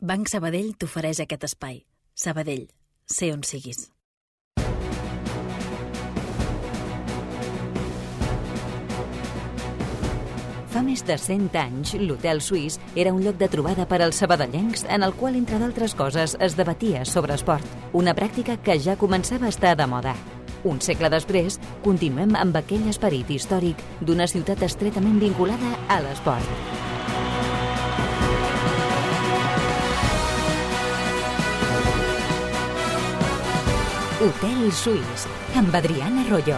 Banc Sabadell t'ofereix aquest espai. Sabadell, sé on siguis. Fa més de 100 anys, l'Hotel Suís era un lloc de trobada per als sabadellencs en el qual, entre d'altres coses, es debatia sobre esport, una pràctica que ja començava a estar de moda. Un segle després, continuem amb aquell esperit històric d'una ciutat estretament vinculada a l'esport. Hotel Suís, amb Adriana Royo.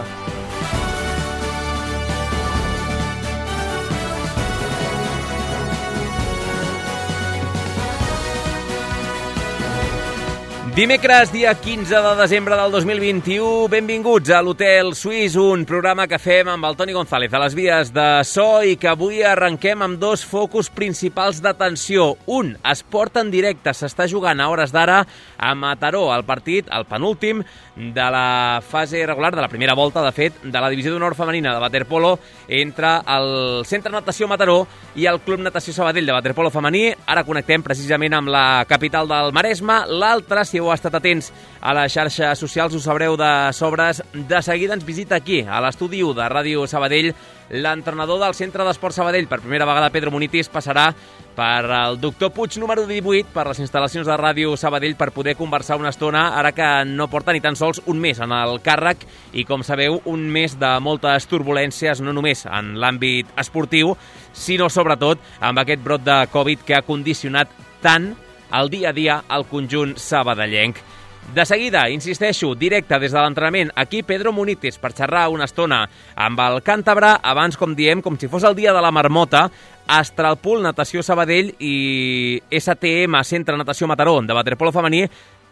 Dimecres, dia 15 de desembre del 2021, benvinguts a l'Hotel Suís, un programa que fem amb el Toni González a les vies de so i que avui arrenquem amb dos focus principals d'atenció. Un, esport en directe, s'està jugant a hores d'ara a Mataró, el partit, el penúltim de la fase regular, de la primera volta, de fet, de la divisió d'honor femenina de waterpolo entre el Centre Natació Mataró i el Club Natació Sabadell de waterpolo femení. Ara connectem precisament amb la capital del Maresme. L'altre, si heu estat atents a les xarxes socials, ho sabreu de sobres. De seguida ens visita aquí, a l'estudi 1 de Ràdio Sabadell, l'entrenador del Centre d'Esport Sabadell. Per primera vegada, Pedro Munitis passarà per el Doctor Puig número 18, per les instal·lacions de Ràdio Sabadell, per poder conversar una estona, ara que no porta ni tan sols un mes en el càrrec i, com sabeu, un mes de moltes turbulències, no només en l'àmbit esportiu, sinó sobretot amb aquest brot de Covid que ha condicionat tant el dia a dia al conjunt sabadellenc. De seguida, insisteixo, directe des de l'entrenament, aquí Pedro Munitis per xerrar una estona amb el càntabre, abans, com diem, com si fos el dia de la marmota, Astralpool, Natació Sabadell i STM, Centre Natació Mataró, de waterpolo femení,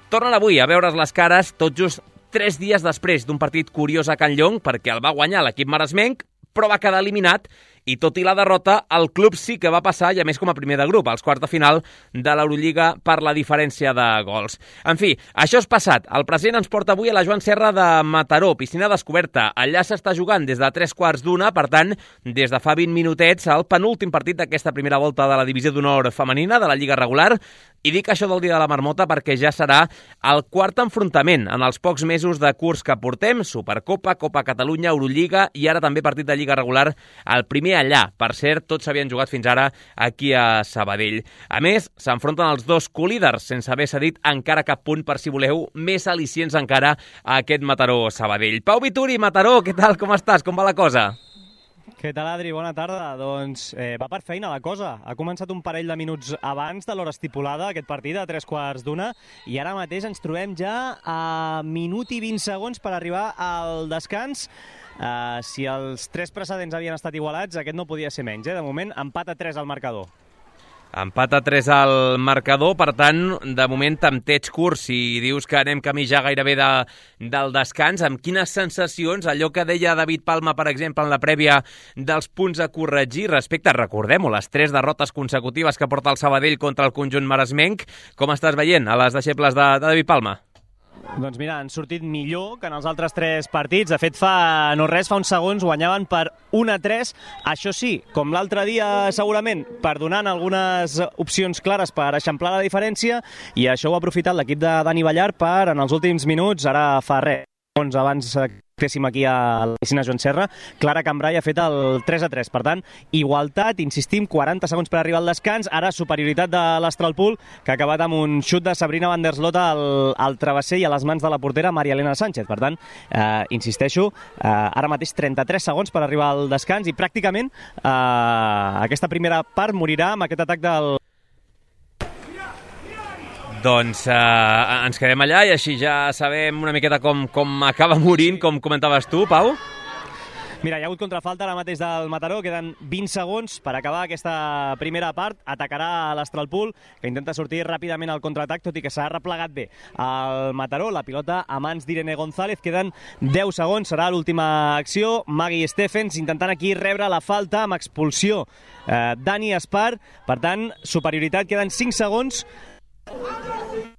tornen avui a veure's les cares tot just 3 dies després d'un partit curiós a Can Llong, perquè el va guanyar l'equip maresmenc, però va quedar eliminat i, tot i la derrota, el club sí que va passar, i a més com a primer de grup, als quarts de final de l'Eurolliga per la diferència de gols. En fi, això és passat. El present ens porta avui a la Joan Serra de Mataró, piscina descoberta. Allà s'està jugant des de 3:15, per tant, des de fa 20 minutets, el penúltim partit d'aquesta primera volta de la divisió d'honor femenina de la Lliga regular. I dic això del dia de la marmota perquè ja serà el quart enfrontament en els pocs mesos de curs que portem. Supercopa, Copa Catalunya, Eurolliga i ara també partit de Lliga regular, el primer allà. Per cert, tots s'havien jugat fins ara aquí a Sabadell. A més, s'enfronten els dos colíders, sense haver cedit encara cap punt, per si voleu, més al·licients encara a aquest Mataró-Sabadell. Pau Vituri, Mataró, què tal? Com estàs? Com va la cosa? Què tal, Adri? Bona tarda. Doncs va per feina la cosa. Ha començat un parell de minuts abans de l'hora estipulada, aquest partit, a 3:15, i ara mateix ens trobem ja a minut i 20 segons per arribar al descans. Si els 3 precedents havien estat igualats, aquest no podia ser menys. De moment, empat a 3 al marcador. Empat a 3 al marcador, per tant, de moment tempteig curt. Si dius que anem camí ja gairebé del descans, amb quines sensacions, allò que deia David Palma, per exemple, en la prèvia dels punts a corregir, respecte, recordem-ho, les 3 derrotes consecutives que porta el Sabadell contra el conjunt maresmenc, com estàs veient a les deixebles de David Palma? Doncs mira, han sortit millor que en els altres 3 partits. De fet, fa uns segons guanyaven per 1-3. Això sí, com l'altre dia segurament, perdonant algunes opcions clares per eixamplar la diferència, i això ho ha aprofitat l'equip de Dani Ballar per, en els últims minuts, ara fa res, abans estéssim aquí a la piscina Joan Serra, Clara Cambrai ha fet el 3-3. Per tant, igualtat, insistim, 40 segons per arribar al descans. Ara superioritat de l'Astralpool, que ha acabat amb un xut de Sabrina van der Slot al travesser i a les mans de la portera Maria Elena Sánchez. Per tant, insisteixo, ara mateix 33 segons per arribar al descans i pràcticament aquesta primera part morirà amb aquest atac del... Doncs ens quedem allà i així ja sabem una miqueta com acaba morint, com comentaves tu, Pau. Mira, hi ha hagut contrafalta ara mateix del Mataró, queden 20 segons per acabar aquesta primera part. Atacarà l'Astralpool, que intenta sortir ràpidament al contraatac, tot i que s'ha replegat bé el Mataró. La pilota a mans d'Irene González, queden 10 segons, serà l'última acció. Maggie Stephens intentant aquí rebre la falta amb expulsió. Dani Espar, per tant, superioritat, queden 5 segons.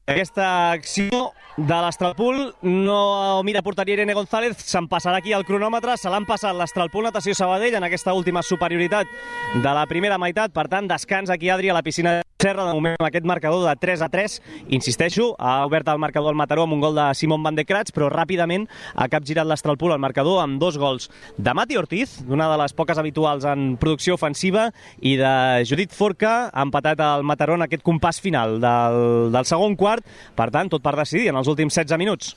Aquesta acció de l'Astralpool no mira porteria Irene González, se'n passarà aquí el cronòmetre, se l'han passat l'Astralpool Natació Sabadell en aquesta última superioritat de la primera meitat. Per tant, descans aquí, Adri, a la piscina Serra, de moment, amb aquest marcador de 3-3. Insisteixo, ha obert el marcador al Mataró amb un gol de Simon Van de Kratz, però ràpidament ha capgirat l'Astralpool al marcador amb 2 gols de Mati Ortiz, d'una de les poques habituals en producció ofensiva, i de Judit Forca, ha empatat el Mataró en aquest compàs final del segon quart. Per tant, tot per decidir en els últims 16 minuts.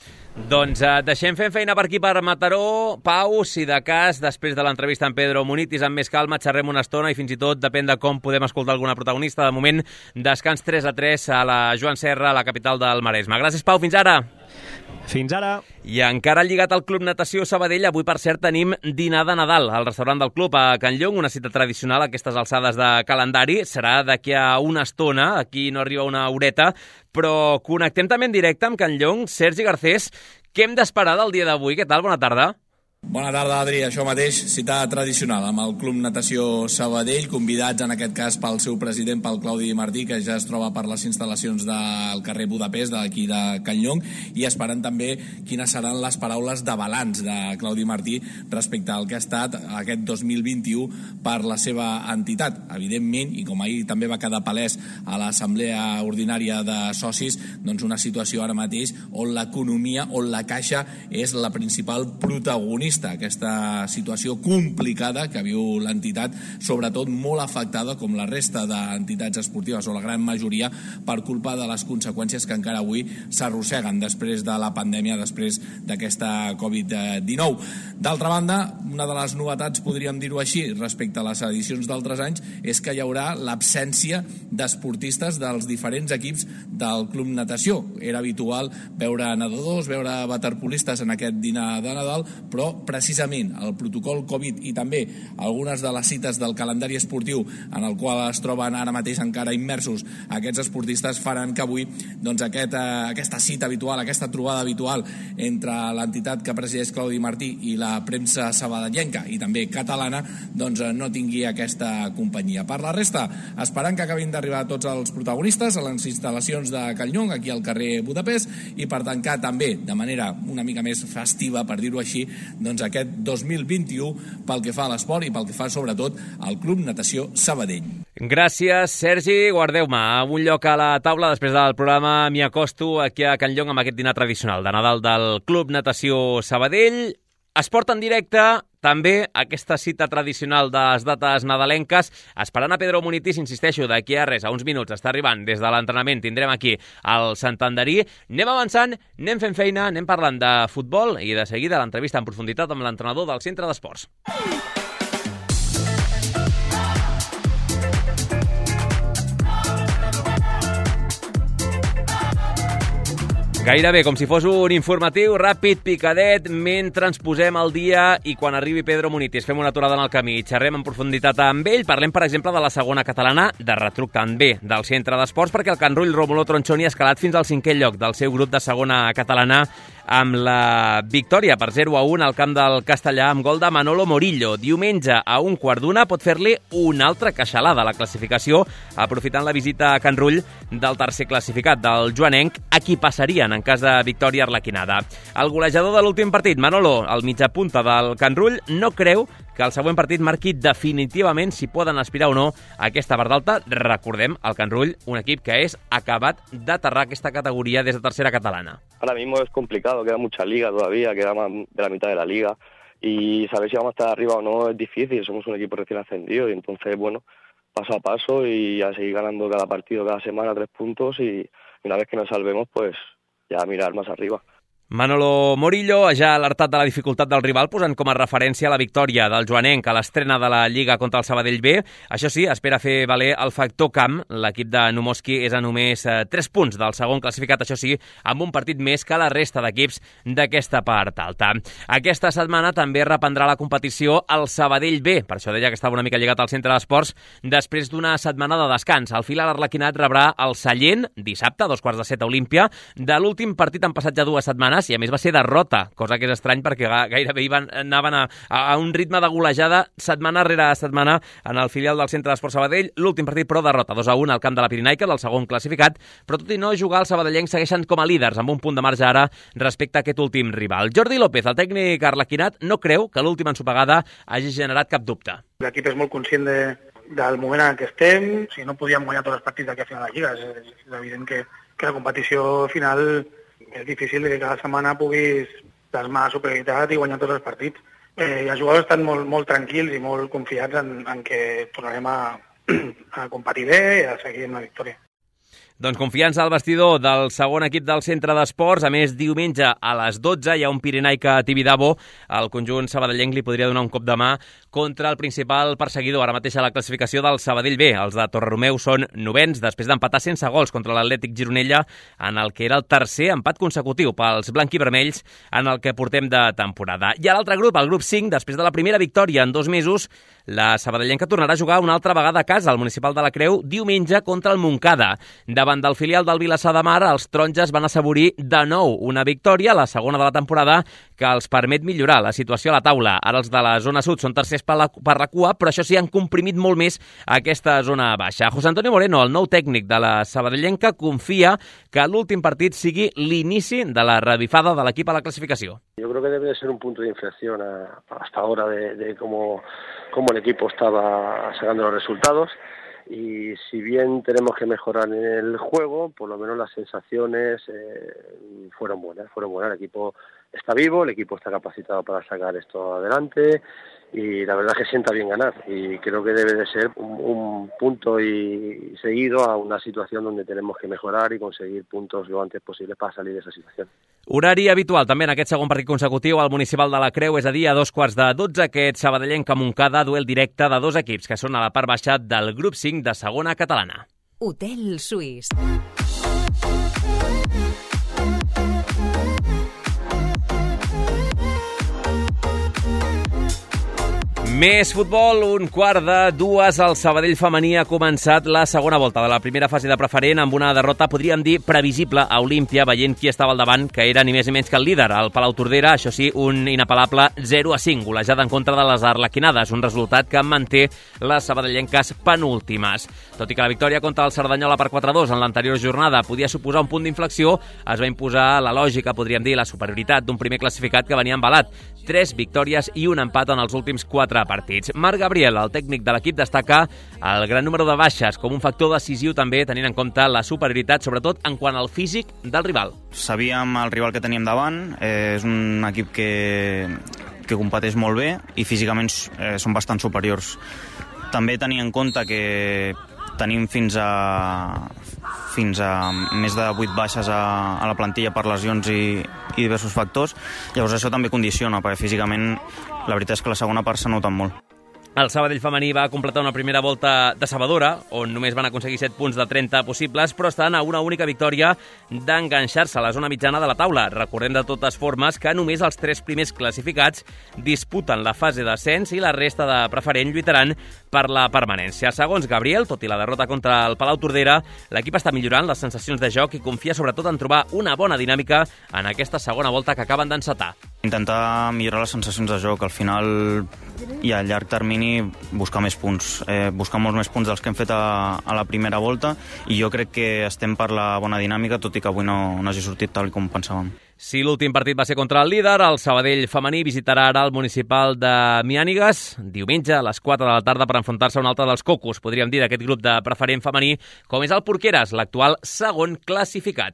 Doncs deixem fent feina per aquí per Mataró. Pau, si de cas, després de l'entrevista amb Pedro Munitis, amb més calma, xerrem una estona i fins i tot depèn de com podem escoltar alguna protagonista. De moment, descans 3-3 a la Joan Serra, a la capital del Maresme. Gràcies, Pau, fins ara. Fins ara. I encara lligat al Club Natació Sabadell, avui, per cert, tenim dinar de Nadal al restaurant del club a Can Llong, una cita tradicional a aquestes alçades de calendari. Serà d'aquí a una estona, aquí no arriba una horeta, però connectem també en directe amb Can Llong. Sergi Garcés, què hem d'esperar del dia d'avui? Què tal? Bona tarda. Bona tarda, Adri. Això mateix, cita tradicional amb el Club Natació Sabadell, convidats en aquest cas pel seu president, pel Claudi Martí, que ja es troba per les instal·lacions del carrer Budapest, d'aquí de Can Llong, i esperant també quines seran les paraules de balanç de Claudi Martí respecte al que ha estat aquest 2021 per la seva entitat. Evidentment, i com ahir també va quedar palès a l'assemblea ordinària de socis, doncs una situació ara mateix on l'economia, on la caixa és la principal protagonista. Aquesta situació complicada que viu l'entitat, sobretot molt afectada, com la resta d'entitats esportives, o la gran majoria, per culpa de les conseqüències que encara avui s'arrosseguen després de la pandèmia, després d'aquesta Covid-19. D'altra banda, una de les novetats, podríem dir-ho així, respecte a les edicions d'altres anys, és que hi haurà l'absència d'esportistes dels diferents equips del Club Natació. Era habitual veure nedadors, veure waterpolistes en aquest dinar de Nadal, però precisament el protocol Covid i també algunes de les cites del calendari esportiu en el qual es troben ara mateix encara immersos aquests esportistes faran que avui doncs, aquesta cita habitual, aquesta trobada habitual entre l'entitat que presideix Claudi Martí i la premsa sabadellenca i també catalana doncs, no tingui aquesta companyia. Per la resta, esperant que acabin d'arribar tots els protagonistes a les instal·lacions de Can Llong, aquí al carrer Budapest, i per tancar també de manera una mica més festiva, per dir-ho així, doncs aquest 2021 pel que fa a l'esport i pel que fa sobretot al Club Natació Sabadell. Gràcies, Sergi. Guardeu-me a un lloc a la taula. Després del programa m'hi acosto aquí a Can Llong amb aquest dinar tradicional de Nadal del Club Natació Sabadell. Esport en directe, també aquesta cita tradicional de les dates nadalenques. Esperant a Pedro Munitis, insisteixo, d'aquí a res, a uns minuts, està arribant des de l'entrenament. Tindrem aquí el Santanderí. Anem avançant, anem fent feina, anem parlant de futbol i de seguida l'entrevista en profunditat amb l'entrenador del Centre d'Esports. Gairebé com si fos un informatiu ràpid, picadet, mentre ens posem al dia i quan arribi Pedro Munitis fem una aturada en el camí i xerrem en profunditat amb ell. Parlem, per exemple, de la segona catalana, de retruc també del Centre d'Esports, perquè el Can Rull Rómulo Tronchoni ha escalat fins al 5è lloc del seu grup de segona catalana amb la victòria per 0-1 al camp del Castellà amb gol de Manolo Morillo. Diumenge a 1:15 pot fer-li una altra queixalada a la classificació, aprofitant la visita a Can Rull del tercer classificat, del joanenc, a qui passarien en cas de victòria arlequinada. El golejador de l'últim partit, Manolo, el mitjapunta del Can Rull, no creu que el següent partit marqui definitivament si poden aspirar o no a aquesta part d'alta. Recordem, el Can Rull, un equip que és acabat d'aterrar aquesta categoria des de tercera catalana. Ahora mismo es complicado, queda mucha liga todavía, queda más de la mitad de la liga y saber si vamos a estar arriba o no es difícil, somos un equipo recién ascendido y entonces, bueno, paso a paso y a seguir ganando cada partido, cada semana 3 puntos y una vez que nos salvemos, pues ya mirar más arriba. Manolo Morillo ja ha alertat de la dificultat del rival, posant com a referència la victòria del joanenc a l'estrena de la Lliga contra el Sabadell B. Això sí, espera fer valer el factor camp. L'equip de Numoski és a només 3 punts del segon classificat, això sí, amb un partit més que la resta d'equips d'aquesta part alta. Aquesta setmana també reprendrà la competició al Sabadell B, per això deia que estava una mica lligat al Centre d'Esports, després d'una setmana de descans. El Filar Arlequinat rebrà el Sallent dissabte, a 2:15 a Olímpia. De l'últim partit han passat ja 2 setmanes i a més va ser derrota, cosa que és estrany perquè gairebé anaven a un ritme de golejada setmana rere setmana en el filial del Centre d'Esports Sabadell. L'últim partit, però, derrota 2-1 al camp de la Pirinaica, del segon classificat, però tot i no jugar, els sabadellencs segueixen com a líders, amb un punt de marge ara respecte a aquest últim rival. Jordi López, el tècnic arlequinat, no creu que l'última ensopegada hagi generat cap dubte. L'equip és molt conscient del moment en què estem. Si no podíem guanyar tots els partits d'aquí a final de Lliga, és evident que la competició final és difícil que cada setmana puguis plasmar superioritat i guanyar tots els partits. Els jugadors estan molt tranquils i molt confiats en que tornarem a competir bé i a seguir amb la victòria. Doncs confiança al vestidor del segon equip del centre d'esports. A més, diumenge a les 12 hi ha un Pirenaica Tibidabo. El conjunt sabadellenc li podria donar un cop de mà contra el principal perseguidor ara mateix a la classificació del Sabadell B. Els de Torreromeu són novens després d'empatar sense gols contra l'Atlètic Gironella en el que era el tercer empat consecutiu pels blanquivermells en el que portem de temporada. I a l'altre grup, el grup 5, després de la primera victòria en 2 mesos, la sabadellenca tornarà a jugar una altra vegada a casa al Municipal de la Creu diumenge contra el Montcada. Davant del filial del Vilassar de Mar, els taronges van assaborir de nou una victòria, la segona de la temporada, que els permet millorar la situació a la taula. Ara els de la zona sud són tercers per la cua, però això sí, han comprimit molt més aquesta zona baixa. José Antonio Moreno, el nou tècnic de la sabadellenca, confia que l'últim partit sigui l'inici de la revifada de l'equip a la clasificació. Yo creo que debe de ser un punto de inflexión hasta ahora de cómo el equipo estaba sacando los resultados. Y si bien tenemos que mejorar en el juego, por lo menos las sensaciones fueron buenas. El equipo está vivo, el equipo está capacitado para sacar esto adelante y la verdad es que sienta bien ganar y creo que debe de ser un punto y seguido a una situación donde tenemos que mejorar y conseguir puntos lo antes posible para salir de esa situación. Horari habitual també en aquest segon partit consecutiu al Municipal de la Creu, és a dir, a 12:15, aquest sabadellenc Montcada, duel directe de dos equips que són a la part baixa del grup 5 de segona catalana. Hotel Suís. Més futbol, 1:45. El Sabadell femení ha començat la segona volta de la primera fase de preferent amb una derrota, podríem dir, previsible a Olímpia, veient qui estava al davant, que era ni més ni menys que el líder, el Palau Tordera. Això sí, un inapel·lable 0-5, golejada en contra de les arlequinades, un resultat que manté les sabadellenques penúltimes. Tot i que la victòria contra el Cerdanyola per 4-2 en l'anterior jornada podia suposar un punt d'inflexió, es va imposar la lògica, podríem dir, la superioritat d'un primer classificat que venia embalat. 3 victòries i un empat en els últims 4 partits. Marc Gabriel, el tècnic de l'equip, destaca el gran número de baixes com un factor decisiu també, tenint en compte la superioritat, sobretot en quant al físic del rival. Sabíem el rival que teníem davant, és un equip que competeix molt bé i físicament són bastant superiors. També tenir en compte que tenim fins a més de 8 baixes a la plantilla per lesions i diversos factors. Llavors això també condiciona, perquè físicament la veritat és que la segona part s'ha notat molt. El Sabadell femení va completar una primera volta decebedora, on només van aconseguir 7 punts de 30 possibles, però estan a una única victòria d'enganxar-se a la zona mitjana de la taula. Recordem de totes formes que només els 3 primers classificats disputen la fase d'ascens i la resta de preferent lluitaran per la permanència. Segons Gabriel, tot i la derrota contra el Palau Tordera, l'equip està millorant les sensacions de joc i confia sobretot en trobar una bona dinàmica en aquesta segona volta que acaben d'encetar. Intentar millorar les sensacions de joc, al final i a llarg termini buscar més punts, buscar molts més punts dels que hem fet a la primera volta, i jo crec que estem per la bona dinàmica, tot i que avui no hagi sortit tal com pensàvem. Si l'últim partit va ser contra el líder, el Sabadell femení visitarà ara el Municipal de Miànigues diumenge a les 4 de la tarda per enfrontar-se a un altre dels cocos, podríem dir, d'aquest grup de preferent femení, com és el Porqueres, l'actual segon classificat.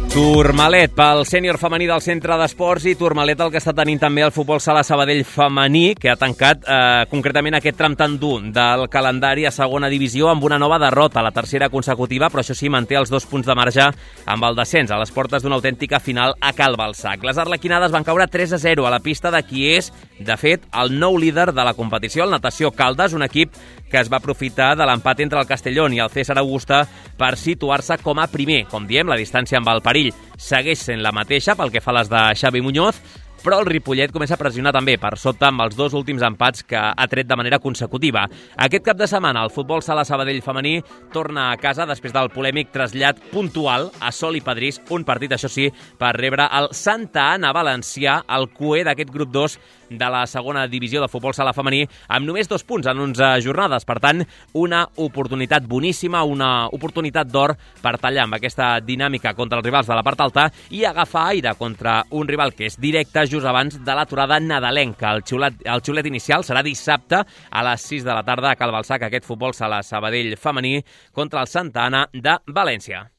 Tourmalet pel sènior femení del centre d'esports i Tourmalet el que està tenint també el futbol sala Sabadell femení, que ha tancat concretament aquest tram tan dur del calendari a segona divisió amb una nova derrota, la tercera consecutiva, però això sí, manté els 2 punts de marge amb el descens a les portes d'una autèntica final a Cal Balsac. Les arlequinades van caure 3-0 a la pista de qui és, de fet, el nou líder de la competició, el Natació Caldes, un equip que es va aprofitar de l'empat entre el Castellón i el César Augusta per situar-se com a primer. Com diem, la distància amb el perill segueix sent la mateixa pel que fa a les de Xavi Muñoz, però el Ripollet comença a pressionar també per sota amb els 2 últims empats que ha tret de manera consecutiva. Aquest cap de setmana el futbol sala Sabadell femení torna a casa després del polèmic trasllat puntual a Sol i Padrís, un partit, això sí, per rebre el Santa Anna valencià, el cuer d'aquest grup 2 de la segona divisió de futbol sala femení, amb només 2 punts en 11 jornades. Per tant, una oportunitat boníssima, una oportunitat d'or per tallar amb aquesta dinàmica contra els rivals de la part alta i agafar aire contra un rival que és directe just abans de l'aturada nadalenca. El xiulet inicial serà dissabte a les 6 de la tarda a Cal Balsac, aquest futbol sala Sabadell femení contra el Santa Anna de València.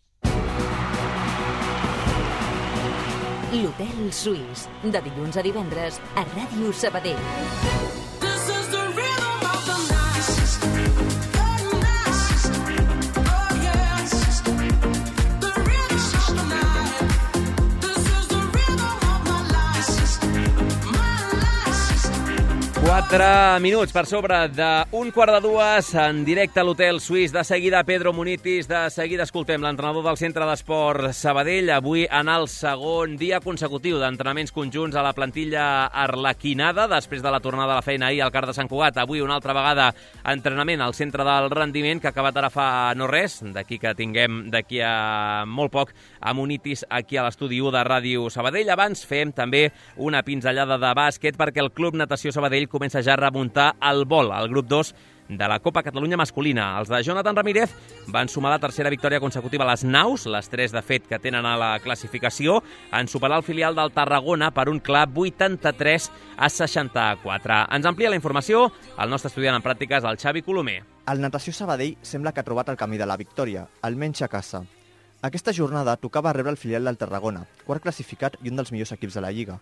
L'Hotel Suís, de dilluns a divendres a Ràdio Sabadell. Quatre minuts per sobre d'un 1:45 en directe a l'Hotel Suís. De seguida Pedro Munitis, de seguida escoltem l'entrenador del Centre d'Esport Sabadell, avui en el segon dia consecutiu d'entrenaments conjunts a la plantilla arlequinada, després de la tornada a la feina ahir al CAR de Sant Cugat. Avui una altra vegada entrenament al Centre del Rendiment, que ha acabat ara fa no res, d'aquí que tinguem d'aquí a molt poc a Munitis aquí a l'estudi 1 de Ràdio Sabadell. Abans fem també una pinzellada de bàsquet perquè el Club Natació Sabadell comença ja a remuntar el vol, al grup 2 de la Copa Catalunya masculina. Els de Jonathan Ramírez van sumar la tercera victòria consecutiva a les naus, les 3 de fet que tenen a la classificació, en superar el filial del Tarragona per un clar 83-64. Ens amplia la informació el nostre estudiant en pràctiques, el Xavi Colomer. El Natació Sabadell sembla que ha trobat el camí de la victòria, almenys a casa. Aquesta jornada tocava rebre el filial del Tarragona, quart classificat i un dels millors equips de la Lliga.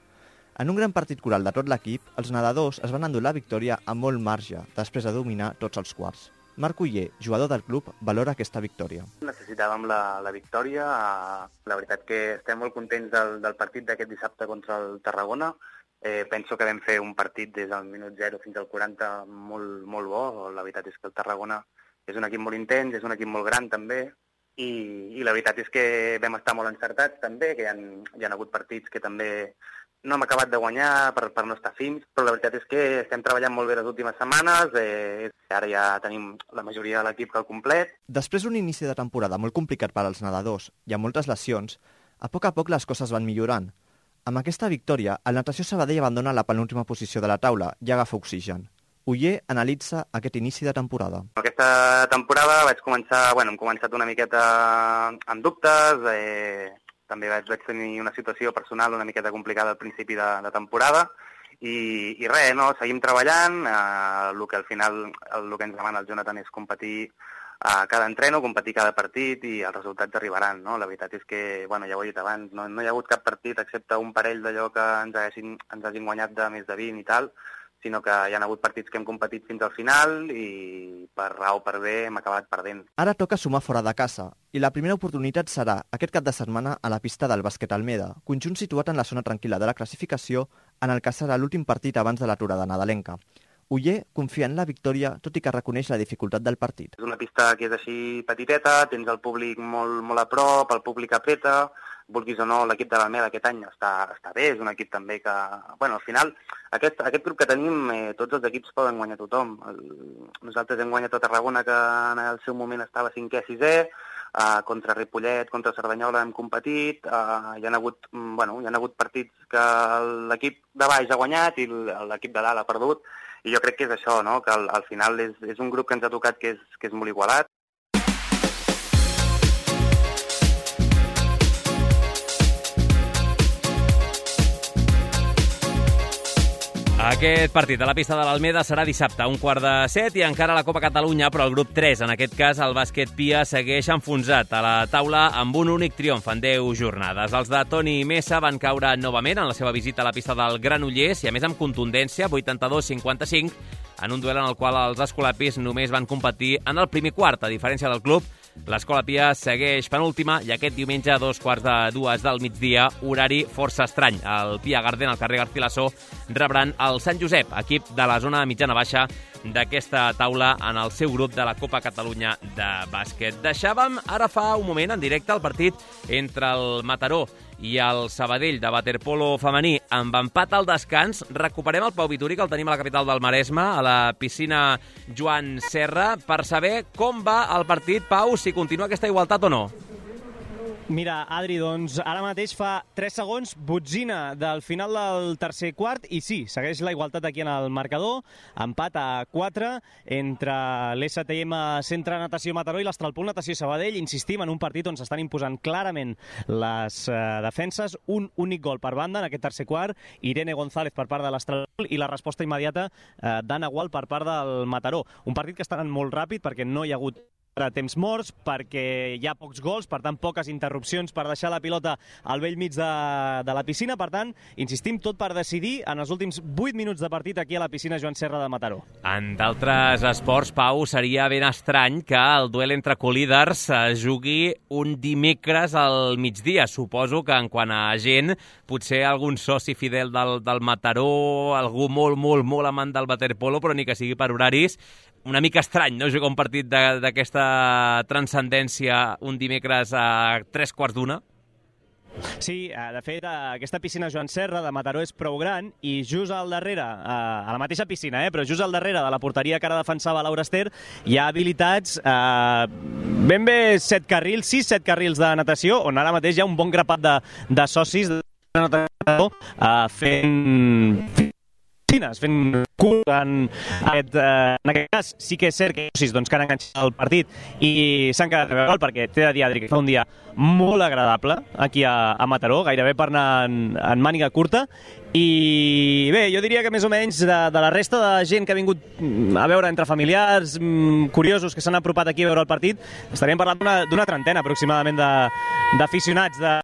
En un gran partit coral de tot l'equip, els nedadors es van endur la victòria a molt marge, després de dominar tots els quarts. Marc Uller, jugador del club, valora aquesta victòria. Necessitàvem la victòria. La veritat que estem molt contents del partit d'aquest dissabte contra el Tarragona. Penso que vam fer un partit des del minut 0 fins al 40 molt bo. La veritat és que el Tarragona és un equip molt intens, és un equip molt gran també, i la veritat és que vam estar molt encertats també, que hi ha hagut partits que també no hem acabat de guanyar per no estar fins, però la veritat és que estem treballant molt bé les últimes setmanes, ara ja tenim la majoria de l'equip al complet. Després d'un inici de temporada molt complicat per als nedadors i amb moltes lesions, a poc les coses van millorant. Amb aquesta victòria, el Natació Sabadell abandona la penúltima posició de la taula i agafa oxigen. Uller analitza aquest inici de temporada. Aquesta temporada hem començat una miqueta amb dubtes, també vaig tenir una situació personal una miqueta complicada al principi de temporada i res, no? Seguim treballant, el que al final el que ens demana el Jonathan és competir a cada entreno, competir cada partit i els resultats arribaran, no? La veritat és que, ja ho he dit abans, no hi ha hagut cap partit excepte un parell d'allò que ens hagin guanyat de més de 20 i tal, sinó que hi ha hagut partits que hem competit fins al final i per A o per B hem acabat perdent. Ara toca sumar fora de casa, i la primera oportunitat serà aquest cap de setmana a la pista del Bàsquet Almeda, conjunt situat en la zona tranquil·la de la classificació, en el que serà l'últim partit abans de l'aturada nadalenca. Uller confia en la victòria, tot i que reconeix la dificultat del partit. És una pista que és així petiteta, tens el públic molt a prop, el públic apreta, vulguis o no, l'equip de l'Almeda aquest any està bé, és un equip també que... al final, aquest grup que tenim, tots els equips poden guanyar tothom. Nosaltres hem guanyat a Tarragona, que en el seu moment estava 5è, 6è, contra Ripollet, contra Cerdanyola hem competit, hi ha hagut partits que l'equip de baix ha guanyat i l'equip de dalt ha perdut, i jo crec que és això, no? Que al final és un grup que ens ha tocat que és molt igualat. Aquest partit a la pista de l'Almeda serà dissabte a 6:45 i encara a la Copa Catalunya, però el grup 3, en aquest cas el bàsquet Pia, segueix enfonsat a la taula amb un únic triomf en 10 jornades. Els de Toni Mesa van caure novament en la seva visita a la pista del Granollers i a més amb contundència, 82-55, en un duel en el qual els escolapis només van competir en el primer quart. A diferència del club, l'Escola Pia segueix penúltima i aquest diumenge a 2:45 del migdia, horari força estrany. El Pia Garden, al carrer Garcilaso, rebran el Sant Josep, equip de la zona mitjana-baixa d'aquesta taula en el seu grup de la Copa Catalunya de bàsquet. Deixàvem ara fa un moment en directe el partit entre el Mataró i el Sabadell de waterpolo femení amb empat al descans. Recuperem el Pau Vituri, que el tenim a la capital del Maresme, a la piscina Joan Serra, per saber com va el partit. Pau, si continua aquesta igualtat o no. Mira, Adri, doncs ara mateix fa 3 segons, botzina del final del tercer quart, i sí, segueix la igualtat aquí en el marcador, empat a 4 entre l'STM Centre Natació Mataró i l'Astralpool Natació Sabadell. Insistim en un partit on s'estan imposant clarament les defenses, un únic gol per banda en aquest tercer quart, Irene González per part de l'Astralpool i la resposta immediata d'Anna Gual per part del Mataró. Un partit que està anant molt ràpid perquè no hi ha hagut temps morts, perquè hi ha pocs gols, per tant, poques interrupcions per deixar la pilota al vell mig de la piscina. Per tant, insistim, tot per decidir en els últims 8 minuts de partit aquí a la piscina Joan Serra de Mataró. En d'altres esports, Pau, seria ben estrany que el duel entre colíders es jugui un dimecres al migdia. Suposo que en quant a gent, potser algun soci fidel del Mataró, algú molt amant del waterpolo, però ni que sigui per horaris, una mica estrany, no?, jugar un partit d'aquesta transcendència un dimecres a 3:15. Sí, de fet, aquesta piscina Joan Serra de Mataró és prou gran i just al darrere, a la mateixa piscina, però just al darrere de la porteria que ara defensava Laura Ester, hi ha habilitats ben bé 6-7 carrils de natació, on ara mateix hi ha un bon grapat de socis de natació fent cul en aquest cas. Sí que és cert que que han enganxat el partit i s'han quedat a veure perquè t'he de dir, Adri, que fa un dia molt agradable aquí a Mataró, gairebé per anar en màniga curta. I bé, jo diria que més o menys de la resta de gent que ha vingut a veure, entre familiars, curiosos que s'han apropat aquí a veure el partit, estaríem parlant d'una trentena aproximadament d'aficionats de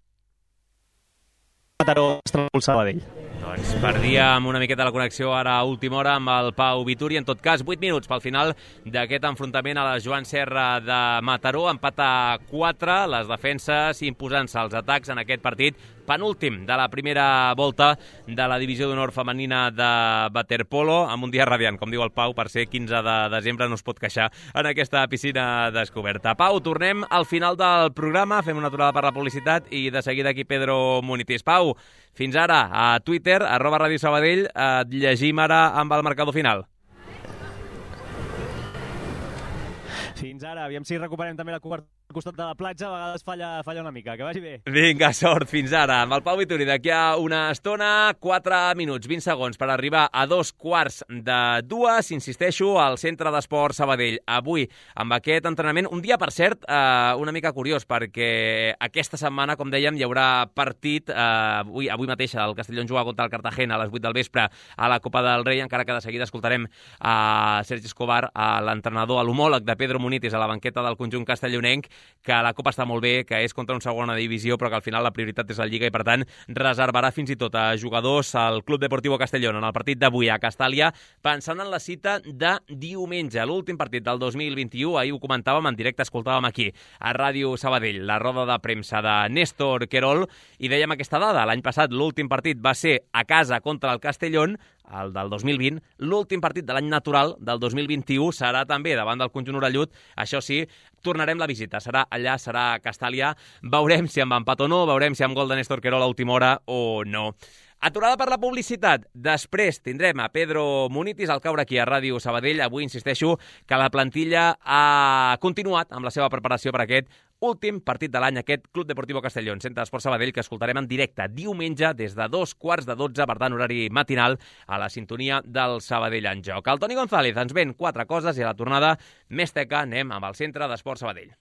Mataró Astralpool Sabadell. Doncs perdíem una miqueta la connexió ara a última hora amb el Pau Vituri. En tot cas, 8 minuts pel final d'aquest enfrontament a la Joan Serra de Mataró. Empat a 4, les defenses imposant-se als atacs en aquest partit penúltim de la primera volta de la divisió d'honor femenina de waterpolo, amb un dia radiant, com diu el Pau, per ser 15 de desembre no es pot queixar en aquesta piscina descoberta. Pau, tornem al final del programa, fem una aturada per la publicitat i de seguida aquí Pedro Munitis. Pau, fins ara a Twitter, @Ràdio Sabadell, et llegim ara amb el marcador final. Fins ara, aviam si recuperem també la cobertura al costat de la platja, a vegades falla una mica, que vagi bé. Vinga, sort, fins ara. Amb el Pau Vituri d'aquí a una estona, 4 minuts, 20 segons per arribar a 2:15. Insisteixo, al Centre d'Esport Sabadell. Avui, amb aquest entrenament, un dia, per cert, una mica curiós, perquè aquesta setmana, com dèiem, hi haurà partit, avui mateix el Castellón juga contra el Cartagena a les 8 del vespre a la Copa del Rei, encara que de seguida escoltarem a Sergi Escobar, l'entrenador, a l'homòleg de Pedro Munitis a la banqueta del conjunt castellonenc, que la Copa està molt bé, que és contra una segona divisió, però que al final la prioritat és la Lliga i, per tant, reservarà fins i tot a jugadors al Club Deportivo Castellón en el partit d'avui a Castàlia, pensant en la cita de diumenge, l'últim partit del 2021. Ahir ho comentàvem en directe, escoltàvem aquí a Ràdio Sabadell la roda de premsa de Néstor Querol i dèiem aquesta dada. L'any passat l'últim partit va ser a casa contra el Castellón, el del 2020. L'últim partit de l'any natural del 2021 serà també davant del conjunt orellut. Això sí, tornarem la visita. Serà allà, serà a Castàlia. Veurem si amb empat o no, veurem si amb gol de Néstor Querol a última hora o no. Aturada per la publicitat. Després tindrem a Pedro Munitis al caure aquí a Ràdio Sabadell. Avui insisteixo que la plantilla ha continuat amb la seva preparació per aquest últim partit de l'any, aquest Club Deportivo Castellón, Centre d'Esport Sabadell, que escoltarem en directe diumenge des de 2:15, per tant, horari matinal, a la sintonia del Sabadell en joc. El Toni González ens ven 4 coses i a la tornada més teca anem amb el Centre d'Esport Sabadell.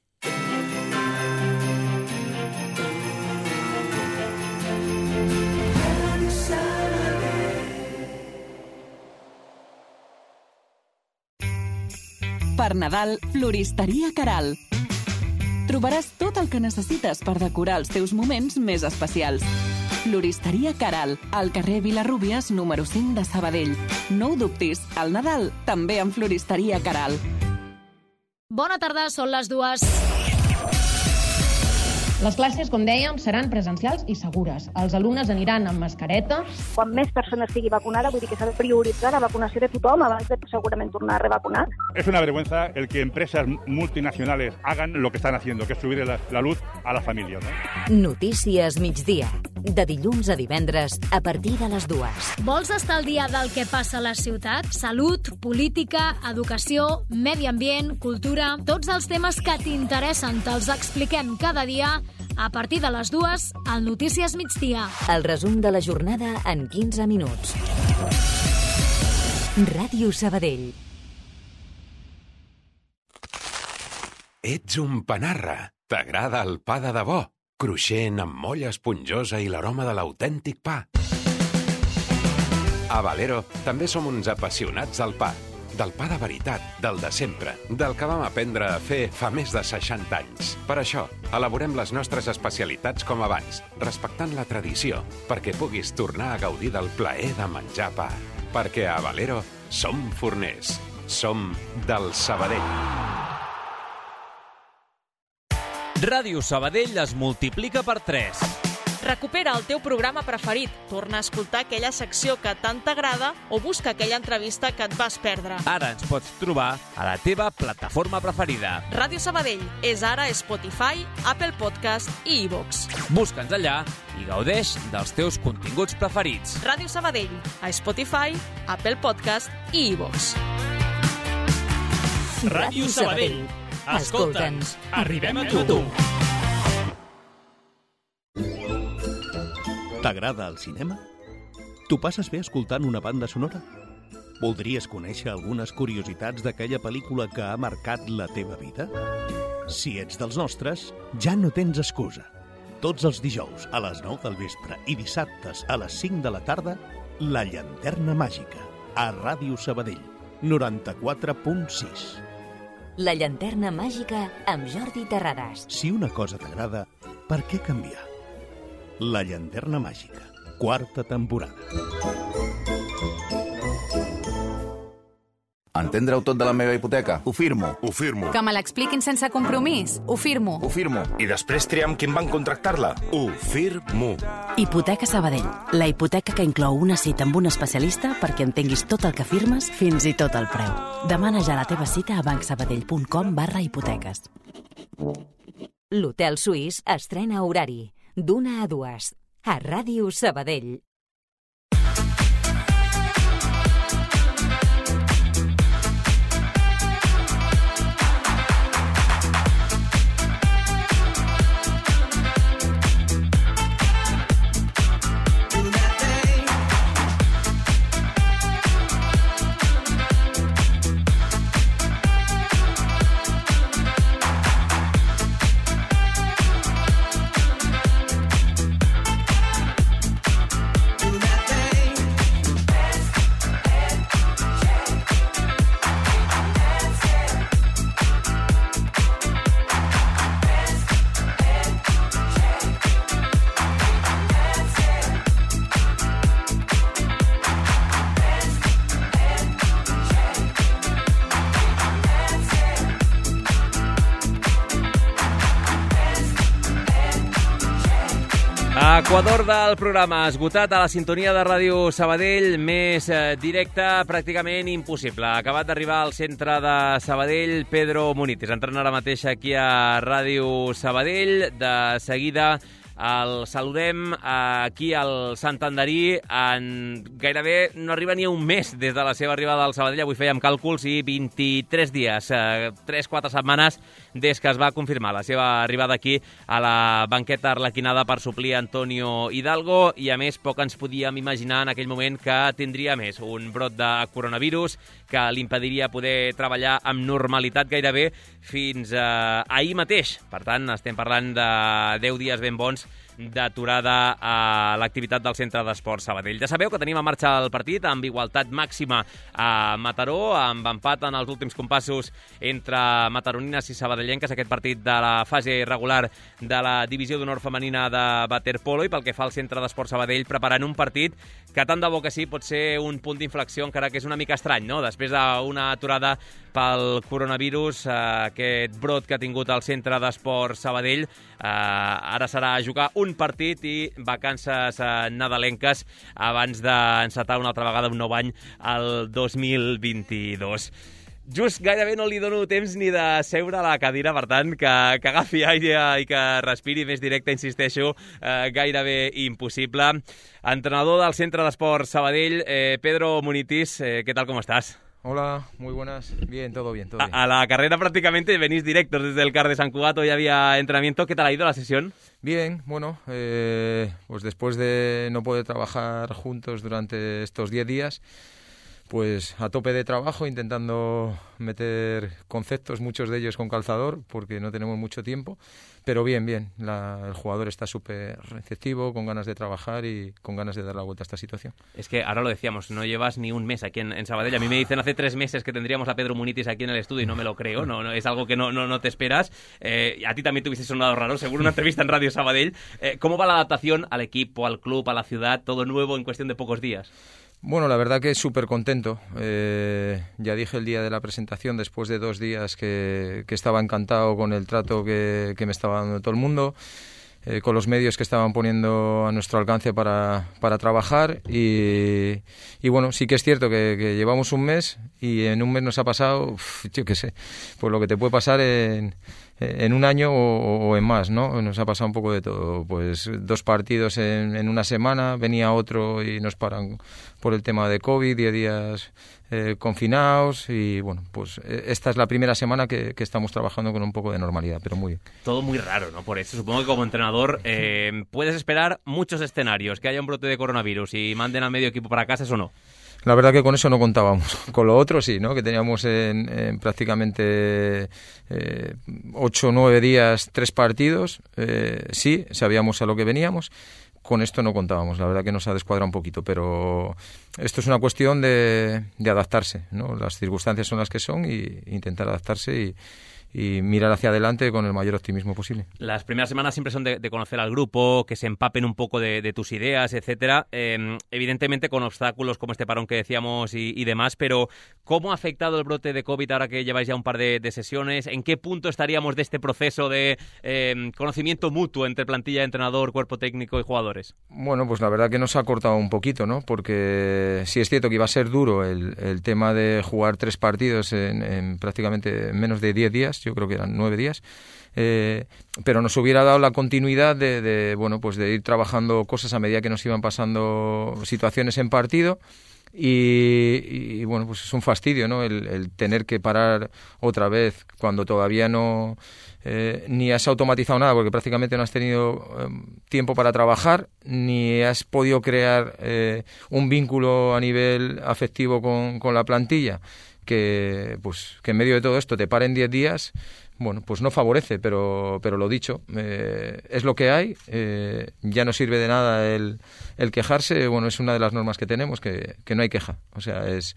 Per Nadal, Floristeria Caral. Trobaràs tot el que necessites per decorar els teus moments més especials. Floristeria Caral, al carrer Vilarrúbies, número 5 de Sabadell. No ho dubtis, al Nadal també amb Floristeria Caral. Bona tarda, són les 2. Les classes, com dèiem, seran presencials i segures. Els alumnes aniran amb mascareta. Quan més persones estigui vacunada, vull dir que s'ha de prioritzar la vacunació de tothom abans de segurament tornar a revacunar. Es una vergüenza el que empresas multinacionales hagan lo que están haciendo, que es subir la luz a las familias, ¿no? Notícies migdia, de dilluns a divendres a partir de les 2. Vols estar al dia del que passa a la ciutat? Salut, política, educació, medi ambient, cultura... Tots els temes que t'interessen te'ls expliquem cada dia a partir de les 2 al Notícies migdia. El resum de la jornada en 15 minuts. Ràdio Sabadell. Ets un panarra. T'agrada el pa de debò, cruixent amb molla esponjosa i l'aroma de l'autèntic pa. A Valero també som uns apassionats del pa. Del pa de veritat, del de sempre, del que vam aprendre a fer fa més de 60 anys. Per això, elaborem les nostres especialitats com abans, respectant la tradició, perquè puguis tornar a gaudir del plaer de menjar pa. Perquè a Valero som forners. Som del Sabadell. Ràdio Sabadell es multiplica per 3. Recupera el teu programa preferit, torna a escoltar aquella secció que tant t'agrada o busca aquella entrevista que et vas perdre. Ara ens pots trobar a la teva plataforma preferida. Ràdio Sabadell és ara Spotify, Apple Podcast i iVoox. Busca'ns allà i gaudeix dels teus continguts preferits. Ràdio Sabadell, a Spotify, Apple Podcast i iVoox. Ràdio Sabadell. Escolta'ns, arribem a tu. T'agrada el cinema? T'ho passes bé escoltant una banda sonora? Voldries conèixer algunes curiositats d'aquella pel·lícula que ha marcat la teva vida? Si ets dels nostres, ja no tens excusa. Tots els dijous a les 9 del vespre i dissabtes a les 5 de la tarda, La Llanterna Màgica, a Ràdio Sabadell, 94.6. La Llanterna Màgica amb Jordi Terrades. Si una cosa t'agrada, per què canviar? La Llanterna Màgica, 4ª temporada. Entendre-ho tot de la meva hipoteca? Ho firmo. Ho firmo. Que me l'expliquin sense compromís? Ho firmo. Ho firmo. I després triar amb quin banc contractar-la? Ho firmo. Hipoteca Sabadell. La hipoteca que inclou una cita amb un especialista perquè entenguis tot el que firmes, fins i tot el preu. Demana ja la teva cita a bancsabadell.com/hipoteques. L'Hotel Suís estrena horari d'1 a 2 a Ràdio Sabadell. Equador del programa esgotat a la sintonia de Ràdio Sabadell, més directa, pràcticament impossible. Acabat d'arribar al centre de Sabadell, Pedro Munitis. Entrant ara mateix aquí a Ràdio Sabadell. De seguida el saludem aquí al Santanderí. Gairebé no arriba ni un mes des de la seva arribada al Sabadell. Avui fèiem càlculs i 23 dies, 3-4 setmanes des que es va confirmar la seva arribada aquí a la banqueta arlequinada per suplir Antonio Hidalgo, i a més poc ens podíem imaginar en aquell moment que tindria més un brot de coronavirus que l'impediria poder treballar amb normalitat gairebé fins ahir mateix. Per tant, estem parlant de 10 dies ben bons d'aturada a l'activitat del Centre d'Esports Sabadell. Ja sabeu que tenim en marxa el partit amb igualtat màxima a Mataró, amb empat en els últims compassos entre mataronines i sabadellenques, aquest partit de la fase regular de la divisió d'honor femenina de waterpolo, i pel que fa al Centre d'Esports Sabadell, preparant un partit que tant de bo que sí pot ser un punt d'inflexió, encara que és una mica estrany, no? Després d'una aturada pel coronavirus, aquest brot que ha tingut el Centre d'Esports Sabadell, ara serà jugar un partit i vacances nadalenques abans d'encetar una altra vegada un nou any al 2022. Just gairebé no li dono temps ni de seure a la cadira, per tant, que agafi aire i que respiri més directe, insisteixo, gairebé impossible. Entrenador del Centre d'Esports Sabadell, Pedro Munitis, ¿qué tal, cómo estás? Hola, muy buenas. Bien, todo bien, todo bien. A la carrera prácticamente venís directos desde el CAR de San Cugat, hoy había entrenamiento. ¿Qué tal ha ido la sesión? Bien, bueno, pues después de no poder trabajar juntos durante estos 10 días, pues a tope de trabajo, intentando meter conceptos, muchos de ellos con calzador, porque no tenemos mucho tiempo, pero bien, bien. El jugador está súper receptivo, con ganas de trabajar y con ganas de dar la vuelta a esta situación. Es que ahora lo decíamos, no llevas ni un mes aquí en Sabadell. A mí me dicen hace 3 meses que tendríamos a Pedro Munitis aquí en el estudio y no me lo creo, no es algo que no te esperas. A ti también te hubiese sonado raro, seguro, una entrevista en Radio Sabadell. ¿Cómo va la adaptación al equipo, al club, a la ciudad, todo nuevo en cuestión de pocos días? Bueno, la verdad que súper contento. Ya dije el día de la presentación, después de 2 días, que estaba encantado con el trato que me estaba dando todo el mundo, con los medios que estaban poniendo a nuestro alcance para trabajar. Y bueno, sí que es cierto que llevamos un mes y en un mes nos ha pasado, yo qué sé, pues lo que te puede pasar en un año o en más, ¿no? Nos ha pasado un poco de todo. Pues 2 partidos en una semana, venía otro y nos paran por el tema de COVID, 10 días confinados, y bueno, pues esta es la primera semana que estamos trabajando con un poco de normalidad, pero muy bien. Todo muy raro, ¿no? Por eso supongo que como entrenador puedes esperar muchos escenarios, que haya un brote de coronavirus y manden a medio equipo para casa, ¿eso no? La verdad que con eso no contábamos. Con lo otro sí, ¿no? Que teníamos en prácticamente 8 o 9 días 3 partidos. Sí, sabíamos a lo que veníamos. Con esto no contábamos. La verdad que nos ha descuadrado un poquito, pero esto es una cuestión de adaptarse, ¿no? Las circunstancias son las que son y intentar adaptarse y mirar hacia adelante con el mayor optimismo posible. Las primeras semanas siempre son de conocer al grupo, que se empapen un poco de tus ideas, etcétera. Evidentemente con obstáculos como este parón que decíamos y demás, pero ¿cómo ha afectado el brote de COVID ahora que lleváis ya un par de sesiones? ¿En qué punto estaríamos de este proceso de conocimiento mutuo entre plantilla, entrenador, cuerpo técnico y jugadores? Bueno, pues la verdad que nos ha cortado un poquito, ¿no? Porque sí es cierto que iba a ser duro el tema de jugar 3 partidos en prácticamente menos de 10 días. Yo creo que eran 9 días, pero nos hubiera dado la continuidad de ir trabajando cosas a medida que nos iban pasando situaciones en partido. Y bueno, pues es un fastidio, ¿no? El tener que parar otra vez cuando todavía no ni has automatizado nada, porque prácticamente no has tenido tiempo para trabajar, ni has podido crear un vínculo a nivel afectivo con la plantilla, que en medio de todo esto te paren 10 días, bueno, pues no favorece, pero lo dicho, es lo que hay, ya no sirve de nada el quejarse. Bueno, es una de las normas que tenemos, que no hay queja, o sea, es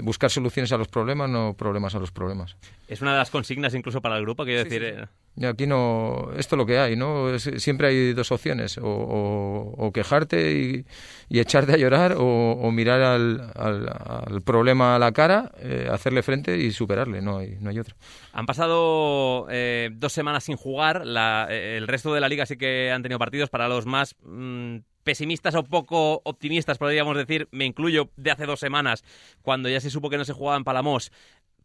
buscar soluciones a los problemas, no problemas a los problemas. Es una de las consignas incluso para el grupo, quiero decir... Sí. Y aquí no, esto es lo que hay, ¿no? Siempre hay 2 opciones, o quejarte y echarte a llorar, o mirar al problema a la cara, hacerle frente y superarle, no hay otra. Han pasado 2 semanas sin jugar, el resto de la liga sí que han tenido partidos. Para los más pesimistas o poco optimistas, podríamos decir, me incluyo, de hace 2 semanas, cuando ya se supo que no se jugaba en Palamós,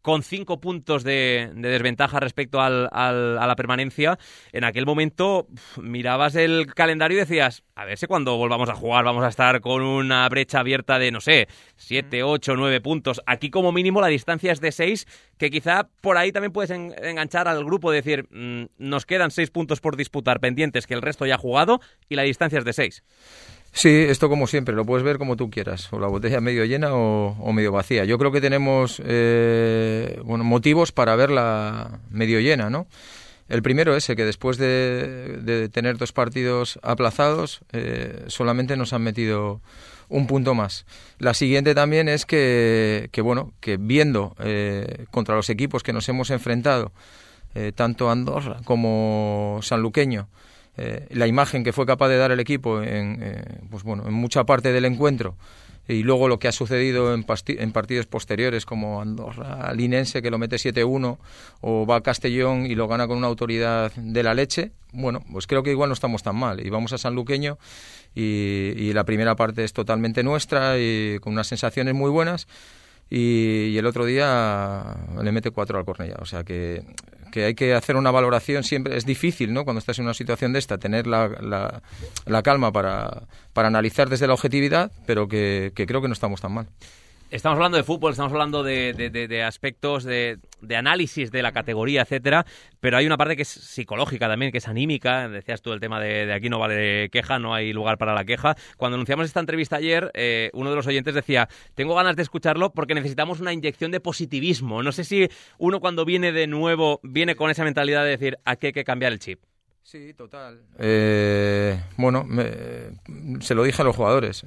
con 5 puntos de desventaja respecto a la permanencia. En aquel momento mirabas el calendario y decías, a ver si cuando volvamos a jugar vamos a estar con una brecha abierta de, no sé, 7, 8, 9 puntos. Aquí como mínimo la distancia es de 6, que quizá por ahí también puedes enganchar al grupo, decir, nos quedan 6 puntos por disputar pendientes, que el resto ya ha jugado, y la distancia es de 6. Sí, esto como siempre, lo puedes ver como tú quieras, o la botella medio llena o medio vacía. Yo creo que tenemos motivos para verla medio llena, ¿no? El primero ese, que después de tener 2 partidos aplazados, solamente nos han metido un punto más. La siguiente también es que viendo contra los equipos que nos hemos enfrentado, tanto Andorra como Sanluqueño, la imagen que fue capaz de dar el equipo en mucha parte del encuentro, y luego lo que ha sucedido en partidos posteriores como Andorra Linense, que lo mete 7-1, o va a Castellón y lo gana con una autoridad de la leche, bueno, pues creo que igual no estamos tan mal. Y vamos a Sanluqueño y la primera parte es totalmente nuestra y con unas sensaciones muy buenas, y el otro día le mete 4 al Cornellá. O sea que hay que hacer una valoración siempre. Es difícil, ¿no?, cuando estás en una situación de esta, tener la calma para analizar desde la objetividad, pero que creo que no estamos tan mal. Estamos hablando de fútbol, estamos hablando de aspectos de análisis de la categoría, etcétera, pero hay una parte que es psicológica también, que es anímica. Decías tú el tema de aquí no vale queja, no hay lugar para la queja. Cuando anunciamos esta entrevista ayer, uno de los oyentes decía, tengo ganas de escucharlo porque necesitamos una inyección de positivismo. No sé si uno cuando viene de nuevo viene con esa mentalidad de decir, aquí hay que cambiar el chip. Sí, total. Se lo dije a los jugadores.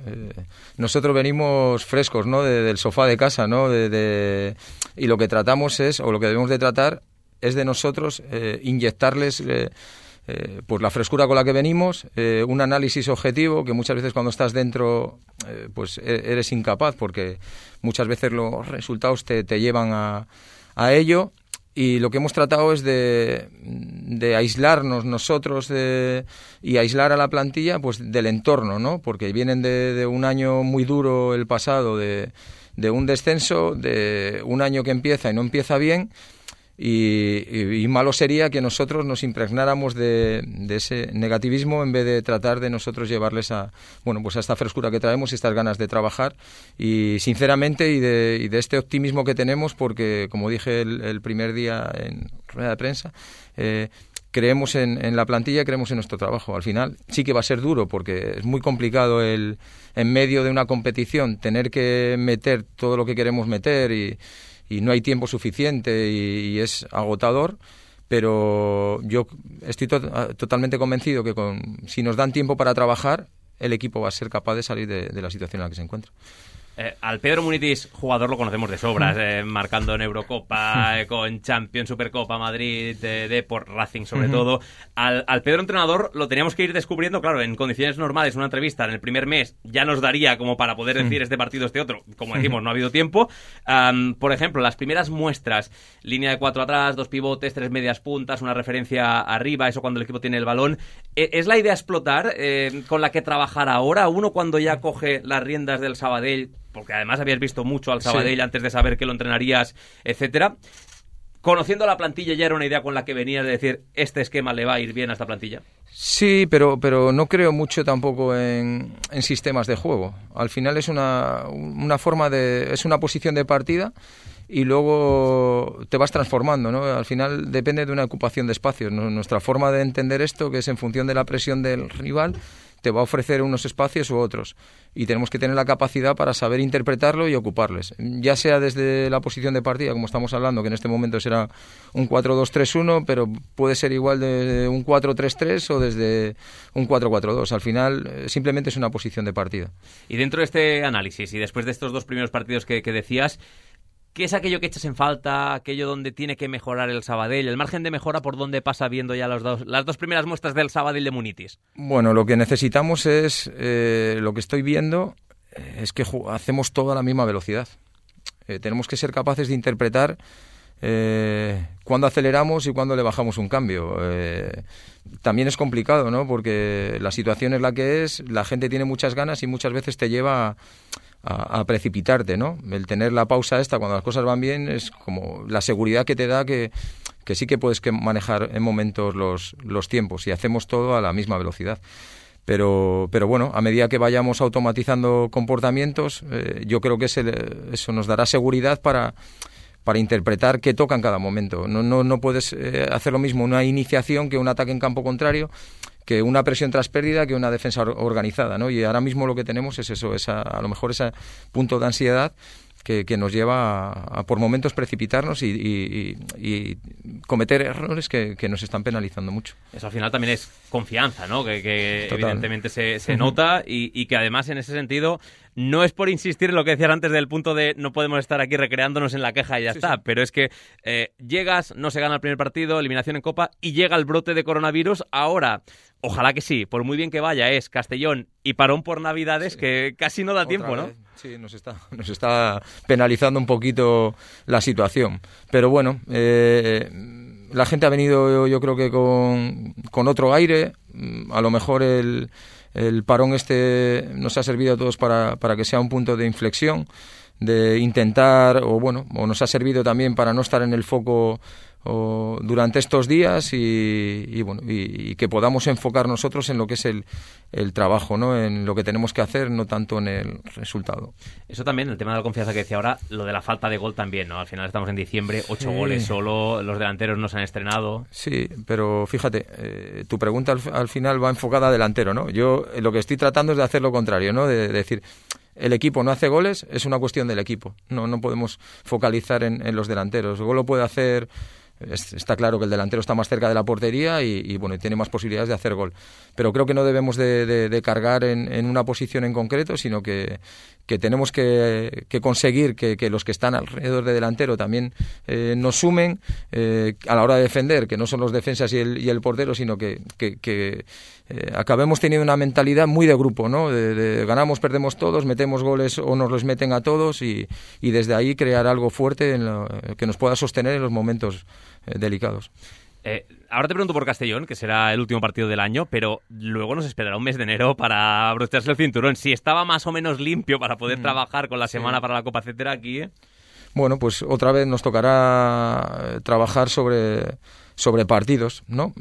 Nosotros venimos frescos, ¿no?, del sofá de casa, ¿no? Y lo que tratamos o lo que debemos de tratar es de nosotros inyectarles pues la frescura con la que venimos, un análisis objetivo que muchas veces cuando estás dentro pues eres incapaz, porque muchas veces los resultados te llevan a ello. Y lo que hemos tratado es de aislarnos nosotros y aislar a la plantilla pues del entorno, ¿no? Porque vienen de un año muy duro el pasado, de un descenso, de un año que empieza y no empieza bien, y malo sería que nosotros nos impregnáramos de ese negativismo en vez de tratar de nosotros llevarles a esta frescura que traemos y estas ganas de trabajar, y sinceramente y de este optimismo que tenemos, porque como dije el primer día en rueda de prensa, creemos en la plantilla, creemos en nuestro trabajo. Al final sí que va a ser duro, porque es muy complicado en medio de una competición tener que meter todo lo que queremos meter y no hay tiempo suficiente y es agotador, pero yo estoy totalmente convencido que si nos dan tiempo para trabajar, el equipo va a ser capaz de salir de la situación en la que se encuentra. Al Pedro Munitis, jugador, lo conocemos de sobras, marcando en Eurocopa, con Champions, Supercopa, Madrid, Depor, Racing sobre todo. Al Pedro entrenador lo teníamos que ir descubriendo, claro, en condiciones normales. Una entrevista en el primer mes ya nos daría como para poder decir este partido, este otro. Como decimos, no ha habido tiempo. Por ejemplo, las primeras muestras, línea de 4 atrás, 2 pivotes, 3 medias puntas, una referencia arriba, eso cuando el equipo tiene el balón. ¿Es la idea explotar con la que trabajar ahora? Uno cuando ya coge las riendas del Sabadell, porque además habías visto mucho al Sabadell antes de saber que lo entrenarías, etcétera. Conociendo la plantilla, ¿ya era una idea con la que venías de decir este esquema le va a ir bien a esta plantilla? Sí, pero no creo mucho tampoco en sistemas de juego. Al final es una forma es una posición de partida y luego te vas transformando, ¿no? Al final depende de una ocupación de espacios. Nuestra forma de entender esto, que es en función de la presión del rival, te va a ofrecer unos espacios u otros, y tenemos que tener la capacidad para saber interpretarlo y ocuparles, ya sea desde la posición de partida, como estamos hablando, que en este momento será un 4-2-3-1, pero puede ser igual de un 4-3-3 o desde un 4-4-2. Al final simplemente es una posición de partida. Y dentro de este análisis y después de estos 2 primeros partidos que decías, ¿qué es aquello que echas en falta, aquello donde tiene que mejorar el Sabadell? ¿El margen de mejora por dónde pasa viendo ya las 2 primeras muestras del Sabadell de Munitis? Bueno, lo que necesitamos es, lo que estoy viendo, es que hacemos todo a la misma velocidad. Tenemos que ser capaces de interpretar cuándo aceleramos y cuándo le bajamos un cambio. También es complicado, ¿no? Porque la situación es la que es, la gente tiene muchas ganas y muchas veces te lleva a precipitarte, ¿no? El tener la pausa esta cuando las cosas van bien es como la seguridad que te da que sí que puedes manejar en momentos los tiempos, y hacemos todo a la misma velocidad. Pero bueno, a medida que vayamos automatizando comportamientos, yo creo que eso nos dará seguridad para interpretar qué toca en cada momento. No puedes hacer lo mismo una iniciación que un ataque en campo contrario, que una presión tras pérdida, que una defensa organizada, ¿no? Y ahora mismo lo que tenemos es eso, a lo mejor ese punto de ansiedad que nos lleva a por momentos precipitarnos y cometer errores que nos están penalizando mucho. Eso al final también es confianza, ¿no? Que evidentemente se nota y que además en ese sentido no es por insistir en lo que decías antes del punto de no podemos estar aquí recreándonos en la queja y ya está, pero es que llegas, no se gana el primer partido, eliminación en Copa y llega el brote de coronavirus. Ahora, ojalá que sí, por muy bien que vaya, es Castellón y parón por Navidades, que casi no da tiempo, ¿no? Sí, nos está penalizando un poquito la situación. Pero bueno, la gente ha venido, yo creo que con otro aire. A lo mejor el parón nos ha servido a todos para que sea un punto de inflexión, de intentar, o nos ha servido también para no estar en el foco durante estos días y que podamos enfocar nosotros en lo que es el trabajo, ¿no? En lo que tenemos que hacer, no tanto en el resultado. Eso también, el tema de la confianza que decía ahora, lo de la falta de gol también, ¿no? Al final estamos en diciembre, 8 goles solo, los delanteros no se han estrenado. Sí, pero fíjate, tu pregunta al final va enfocada a delantero, ¿no? Yo lo que estoy tratando es de hacer lo contrario, ¿no? De decir, el equipo no hace goles, es una cuestión del equipo. No podemos focalizar en los delanteros. El gol lo puede hacer. Está claro que el delantero está más cerca de la portería y tiene más posibilidades de hacer gol. Pero creo que no debemos de cargar en una posición en concreto, sino que tenemos que conseguir que los que están alrededor de delantero también nos sumen a la hora de defender, que no son los defensas y el portero, sino que acabemos teniendo una mentalidad muy de grupo, ¿no? De ganamos, perdemos todos, metemos goles o nos los meten a todos y desde ahí crear algo fuerte que nos pueda sostener en los momentos delicados. Ahora te pregunto por Castellón, que será el último partido del año, pero luego nos esperará un mes de enero para abrocharse el cinturón. Si estaba más o menos limpio para poder trabajar con la semana para la Copa, etcétera, aquí, Bueno, pues otra vez nos tocará trabajar sobre partidos, ¿no?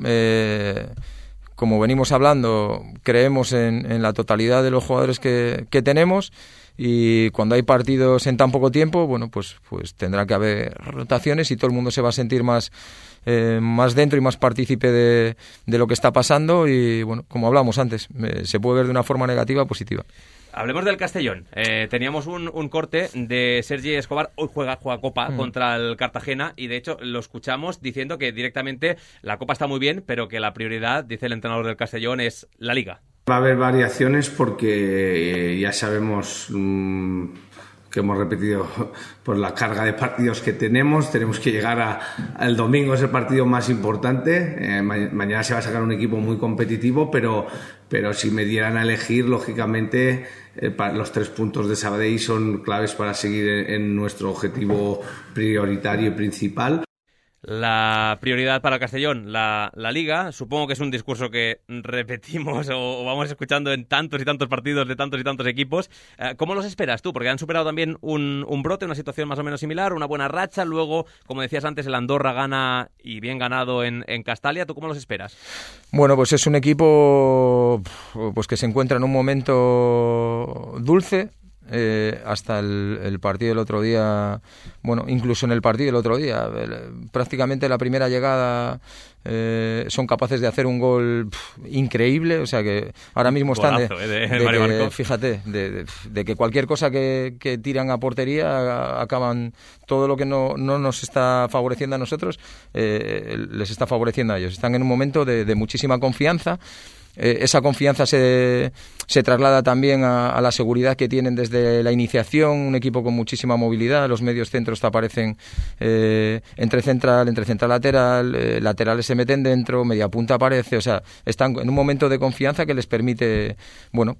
Como venimos hablando, creemos en la totalidad de los jugadores que tenemos. Y cuando hay partidos en tan poco tiempo, pues tendrá que haber rotaciones y todo el mundo se va a sentir más dentro y más partícipe de lo que está pasando y, como hablamos antes, se puede ver de una forma negativa o positiva. Hablemos del Castellón. Teníamos un corte de Sergi Escobar, hoy juega Copa contra el Cartagena y de hecho lo escuchamos diciendo que directamente la Copa está muy bien, pero que la prioridad, dice el entrenador del Castellón, es la Liga. Va a haber variaciones porque ya sabemos que hemos repetido por la carga de partidos que tenemos que llegar al domingo, es el partido más importante. Mañana se va a sacar un equipo muy competitivo, pero si me dieran a elegir, lógicamente los 3 puntos de Sabadell son claves para seguir en nuestro objetivo prioritario y principal. La prioridad para el Castellón, la Liga, supongo que es un discurso que repetimos o vamos escuchando en tantos y tantos partidos de tantos y tantos equipos. ¿Cómo los esperas tú? Porque han superado también un brote, una situación más o menos similar, una buena racha, luego, como decías antes, el Andorra gana y bien ganado en Castalia. ¿Tú cómo los esperas? Bueno, pues es un equipo pues que se encuentra en un momento dulce. Hasta el partido del otro día, incluso en el partido del otro día, prácticamente la primera llegada son capaces de hacer un gol increíble, o sea que ahora mismo están fíjate, de que cualquier cosa que tiran a portería acaban, todo lo que no nos está favoreciendo a nosotros les está favoreciendo a ellos. Están en un momento de muchísima confianza. Esa confianza se traslada también a la seguridad que tienen desde la iniciación, un equipo con muchísima movilidad, los medios centros te aparecen entre central lateral, laterales se meten dentro, media punta aparece, o sea, están en un momento de confianza que les permite,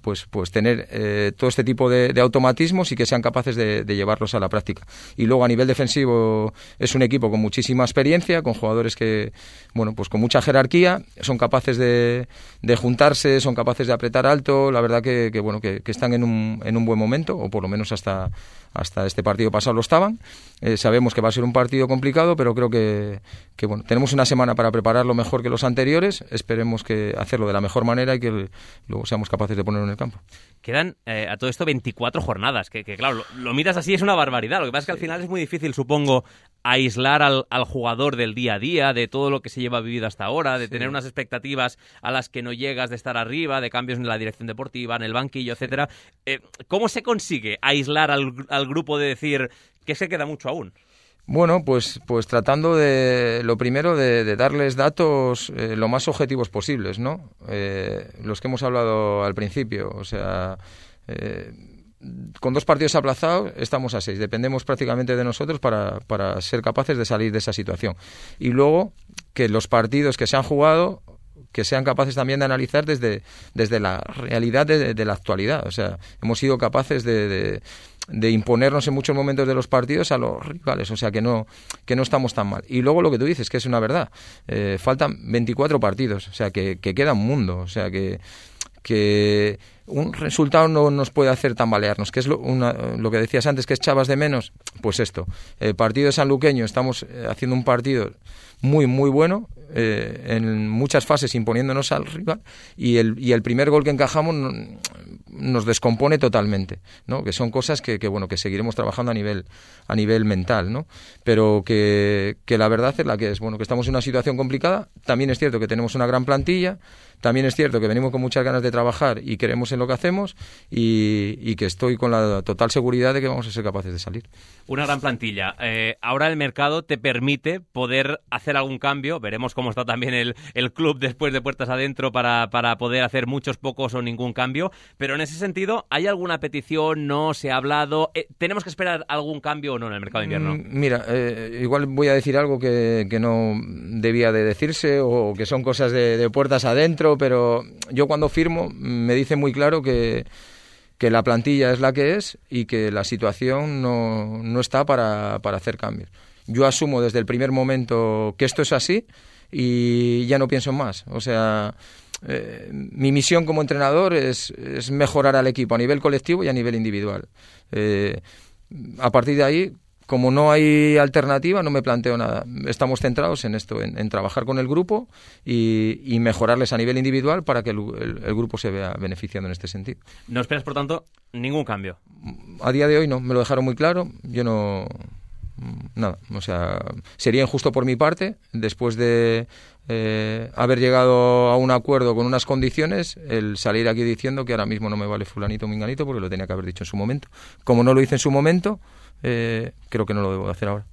pues tener todo este tipo de automatismos y que sean capaces de llevarlos a la práctica. Y luego a nivel defensivo es un equipo con muchísima experiencia, con jugadores que, pues con mucha jerarquía, son capaces de juntarse, son capaces de apretar alto, la verdad que están en un buen momento, o por lo menos hasta este partido pasado lo estaban. Sabemos que va a ser un partido complicado, pero creo que tenemos una semana para prepararlo mejor que los anteriores, esperemos que hacerlo de la mejor manera y que luego seamos capaces de ponerlo en el campo. Quedan a todo esto 24 jornadas, que claro, lo miras así, es una barbaridad. Lo que pasa es que al final es muy difícil, supongo, aislar al jugador del día a día, de todo lo que se lleva vivido hasta ahora, de tener unas expectativas a las que no llegas, de estar arriba, de cambios en la dirección deportiva, en el banquillo, etcétera. ¿Cómo se consigue aislar al grupo de decir que se queda mucho aún? Bueno, pues tratando lo primero de darles datos lo más objetivos posibles, ¿no? Los que hemos hablado al principio, o sea, con 2 partidos aplazados estamos a 6, dependemos prácticamente de nosotros para ser capaces de salir de esa situación. Y luego que los partidos que se han jugado, que sean capaces también de analizar desde la realidad de la actualidad, o sea, hemos sido capaces de imponernos en muchos momentos de los partidos a los rivales, o sea que no estamos tan mal. Y luego lo que tú dices, que es una verdad, faltan 24 partidos, o sea que queda un mundo, o sea que un resultado no nos puede hacer tambalearnos, que es lo que decías antes, que es echabas de menos, pues esto, el partido de Sanluqueño, estamos haciendo un partido muy muy bueno, en muchas fases imponiéndonos al rival, y el primer gol que encajamos nos descompone totalmente, ¿no? Que son cosas que seguiremos trabajando a nivel mental, ¿no? Pero que la verdad es la que es, que estamos en una situación complicada. También es cierto que tenemos una gran plantilla, también es cierto que venimos con muchas ganas de trabajar y creemos en lo que hacemos, y que estoy con la total seguridad de que vamos a ser capaces de salir. Una gran plantilla. Ahora el mercado te permite poder hacer algún cambio. Veremos cómo está también el club después de puertas adentro para poder hacer muchos, pocos o ningún cambio. Pero en ese sentido, ¿hay alguna petición? ¿No se ha hablado? ¿Tenemos que esperar algún cambio o no en el mercado de invierno? Mira, igual voy a decir algo que no debía de decirse, o que son cosas de puertas adentro, pero yo cuando firmo me dice muy claro que la plantilla es la que es y que la situación no está para hacer cambios. Yo asumo desde el primer momento que esto es así y ya no pienso en más. O sea, mi misión como entrenador es mejorar al equipo a nivel colectivo y a nivel individual. A partir de ahí, como no hay alternativa, no me planteo nada. Estamos centrados en esto, en trabajar con el grupo y mejorarles a nivel individual para que el grupo se vea beneficiando en este sentido. ¿No esperas, por tanto, ningún cambio? A día de hoy no, me lo dejaron muy claro. Yo no... Nada, o sea, sería injusto por mi parte, después de haber llegado a un acuerdo con unas condiciones, el salir aquí diciendo que ahora mismo no me vale fulanito o minganito, porque lo tenía que haber dicho en su momento. Como no lo hice en su momento, creo que no lo debo hacer ahora.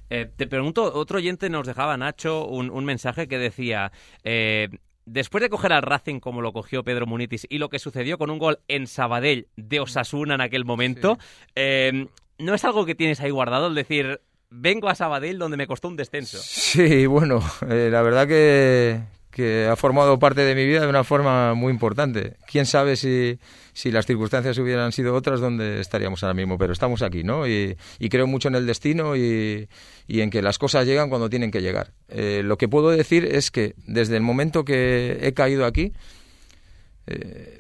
Te pregunto, otro oyente nos dejaba, Nacho, un mensaje que decía... Después de coger al Racing como lo cogió Pedro Munitis y lo que sucedió con un gol en Sabadell de Osasuna en aquel momento, sí. ¿No es algo que tienes ahí guardado? El decir, vengo a Sabadell donde me costó un descenso. Sí, bueno, la verdad que ha formado parte de mi vida de una forma muy importante. Quién sabe si las circunstancias hubieran sido otras, donde estaríamos ahora mismo, pero estamos aquí, ¿no? Y creo mucho en el destino y en que las cosas llegan cuando tienen que llegar. Lo que puedo decir es que desde el momento que he caído aquí,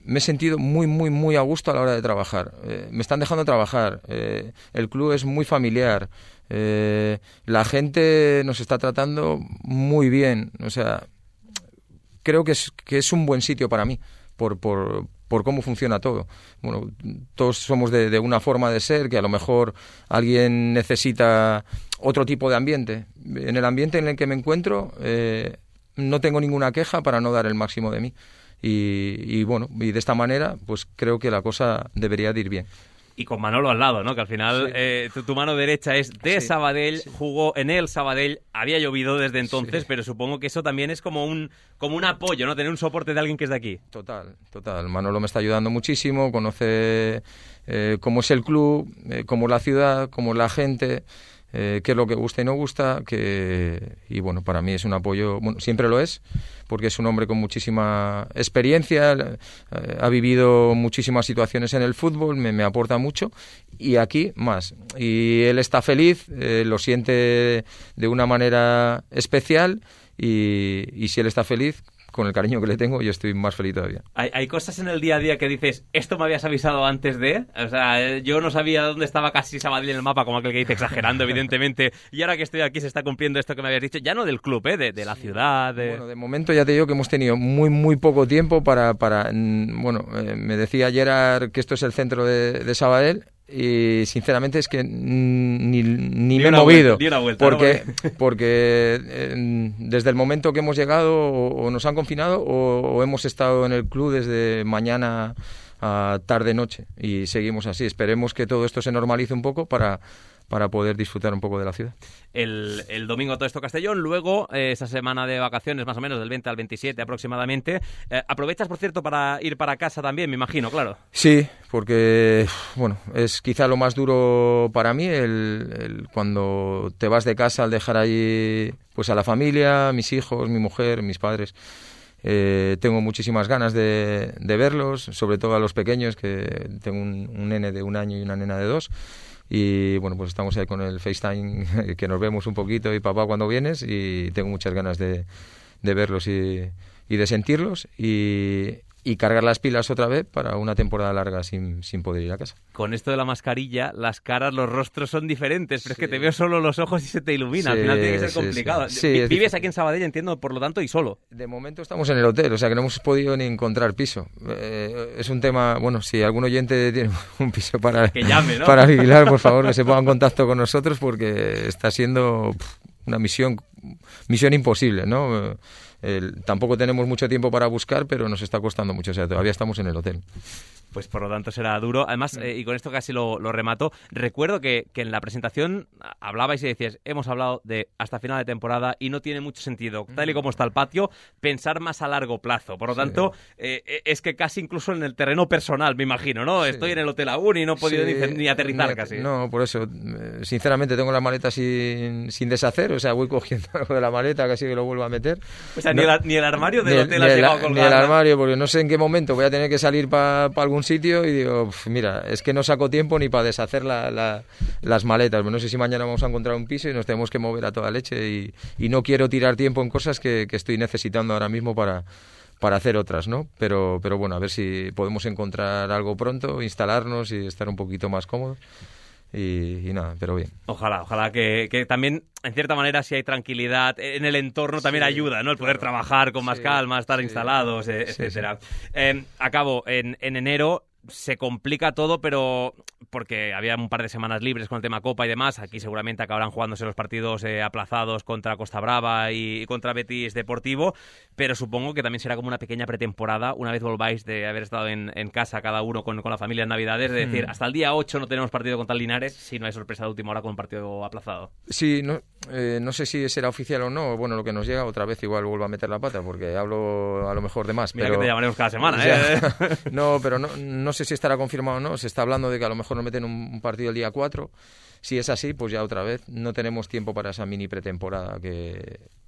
me he sentido muy, muy, muy a gusto a la hora de trabajar. Me están dejando trabajar. El club es muy familiar. La gente nos está tratando muy bien. O sea, creo que es un buen sitio para mí por cómo funciona todo. Bueno, todos somos de una forma de ser, que a lo mejor alguien necesita otro tipo de ambiente. En el ambiente en el que me encuentro, no tengo ninguna queja para no dar el máximo de mí. Y de esta manera pues creo que la cosa debería de ir bien. Y con Manolo al lado, ¿no? Que al final sí. Tu mano derecha es de Sabadell, jugó en el Sabadell, había llovido desde entonces, pero supongo que eso también es como un apoyo, ¿no? Tener un soporte de alguien que es de aquí. Total. Manolo me está ayudando muchísimo, conoce cómo es el club, cómo es la ciudad, cómo es la gente, qué es lo que gusta y no gusta, y bueno, para mí es un apoyo, bueno, siempre lo es, porque es un hombre con muchísima experiencia, ha vivido muchísimas situaciones en el fútbol, me aporta mucho, y aquí más. Y él está feliz, lo siente de una manera especial, y si él está feliz, con el cariño que le tengo, yo estoy más feliz todavía. ¿Hay cosas en el día a día que dices, esto me habías avisado antes de? O sea, yo no sabía dónde estaba casi Sabadell en el mapa, como aquel que dice, exagerando, evidentemente, y ahora que estoy aquí se está cumpliendo esto que me habías dicho, ya no del club, de la ciudad. Bueno, de momento ya te digo que hemos tenido muy, muy poco tiempo para me decía Gerard que esto es el centro de Sabadell, y sinceramente es que ni me he movido, porque desde el momento que hemos llegado o nos han confinado o hemos estado en el club desde mañana a tarde-noche y seguimos así. Esperemos que todo esto se normalice un poco para poder disfrutar un poco de la ciudad. El domingo todo esto Castellón, luego esa semana de vacaciones más o menos del 20 al 27 aproximadamente. ¿Aprovechas, por cierto, para ir para casa también, me imagino, claro? Sí, porque bueno, es quizá lo más duro para mí cuando te vas de casa al dejar ahí pues a la familia, mis hijos, mi mujer, mis padres. Tengo muchísimas ganas de verlos, sobre todo a los pequeños, que tengo un nene de 1 año y una nena de 2. Y bueno, pues estamos ahí con el FaceTime, que nos vemos un poquito, y papá, cuando vienes, y tengo muchas ganas de verlos y de sentirlos y cargar las pilas otra vez para una temporada larga sin poder ir a casa. Con esto de la mascarilla, las caras, los rostros son diferentes, pero es que te veo solo los ojos y se te ilumina. Al final tiene que ser complicado. Vives aquí en Sabadell, entiendo, por lo tanto, y solo. De momento estamos en el hotel, o sea que no hemos podido ni encontrar piso. Es un tema, bueno, si algún oyente tiene un piso para, que llame, ¿no? para alquilar, por favor, que se ponga en contacto con nosotros, porque está siendo una misión imposible, ¿no? Tampoco tenemos mucho tiempo para buscar, pero nos está costando mucho, o sea, todavía estamos en el hotel. Pues por lo tanto será duro. Además, y con esto casi lo remato, recuerdo que en la presentación hablabais y decías, hemos hablado de hasta final de temporada y no tiene mucho sentido, tal y como está el patio, pensar más a largo plazo. Por lo tanto, es que casi incluso en el terreno personal, me imagino, ¿no? Sí. Estoy en el hotel aún y no he podido ni aterrizar casi. No, por eso, sinceramente tengo la maleta sin deshacer, o sea, voy cogiendo algo de la maleta, casi que lo vuelvo a meter. O sea, ni el armario del hotel has llegado a colgar. Ni el armario, porque no sé en qué momento voy a tener que salir para algún sitio y digo, mira, es que no saco tiempo ni para deshacer las maletas. No sé si mañana vamos a encontrar un piso y nos tenemos que mover a toda leche y no quiero tirar tiempo en cosas que estoy necesitando ahora mismo para hacer otras, ¿no? Pero bueno, a ver si podemos encontrar algo pronto, instalarnos y estar un poquito más cómodos. Y nada, pero bien. Ojalá que también, en cierta manera, si hay tranquilidad en el entorno, también ayuda, ¿no? El poder trabajar con más calma, estar instalados, etcétera. Acabo, en enero se complica todo, pero porque había un par de semanas libres con el tema Copa y demás. Aquí seguramente acabarán jugándose los partidos aplazados contra Costa Brava y contra Betis Deportivo, pero supongo que también será como una pequeña pretemporada una vez volváis de haber estado en casa cada uno con la familia en Navidades, de decir, hasta el día 8 no tenemos partido contra el Linares si no hay sorpresa de última hora con un partido aplazado. Sí, no sé si será oficial o no. Bueno, lo que nos llega otra vez igual vuelvo a meter la pata porque hablo a lo mejor de más. Mira, pero que te llamaremos cada semana, No, pero no sé si estará confirmado o no. Se está hablando de que a lo mejor nos meten un partido el día 4. Si es así, pues ya otra vez no tenemos tiempo para esa mini pretemporada.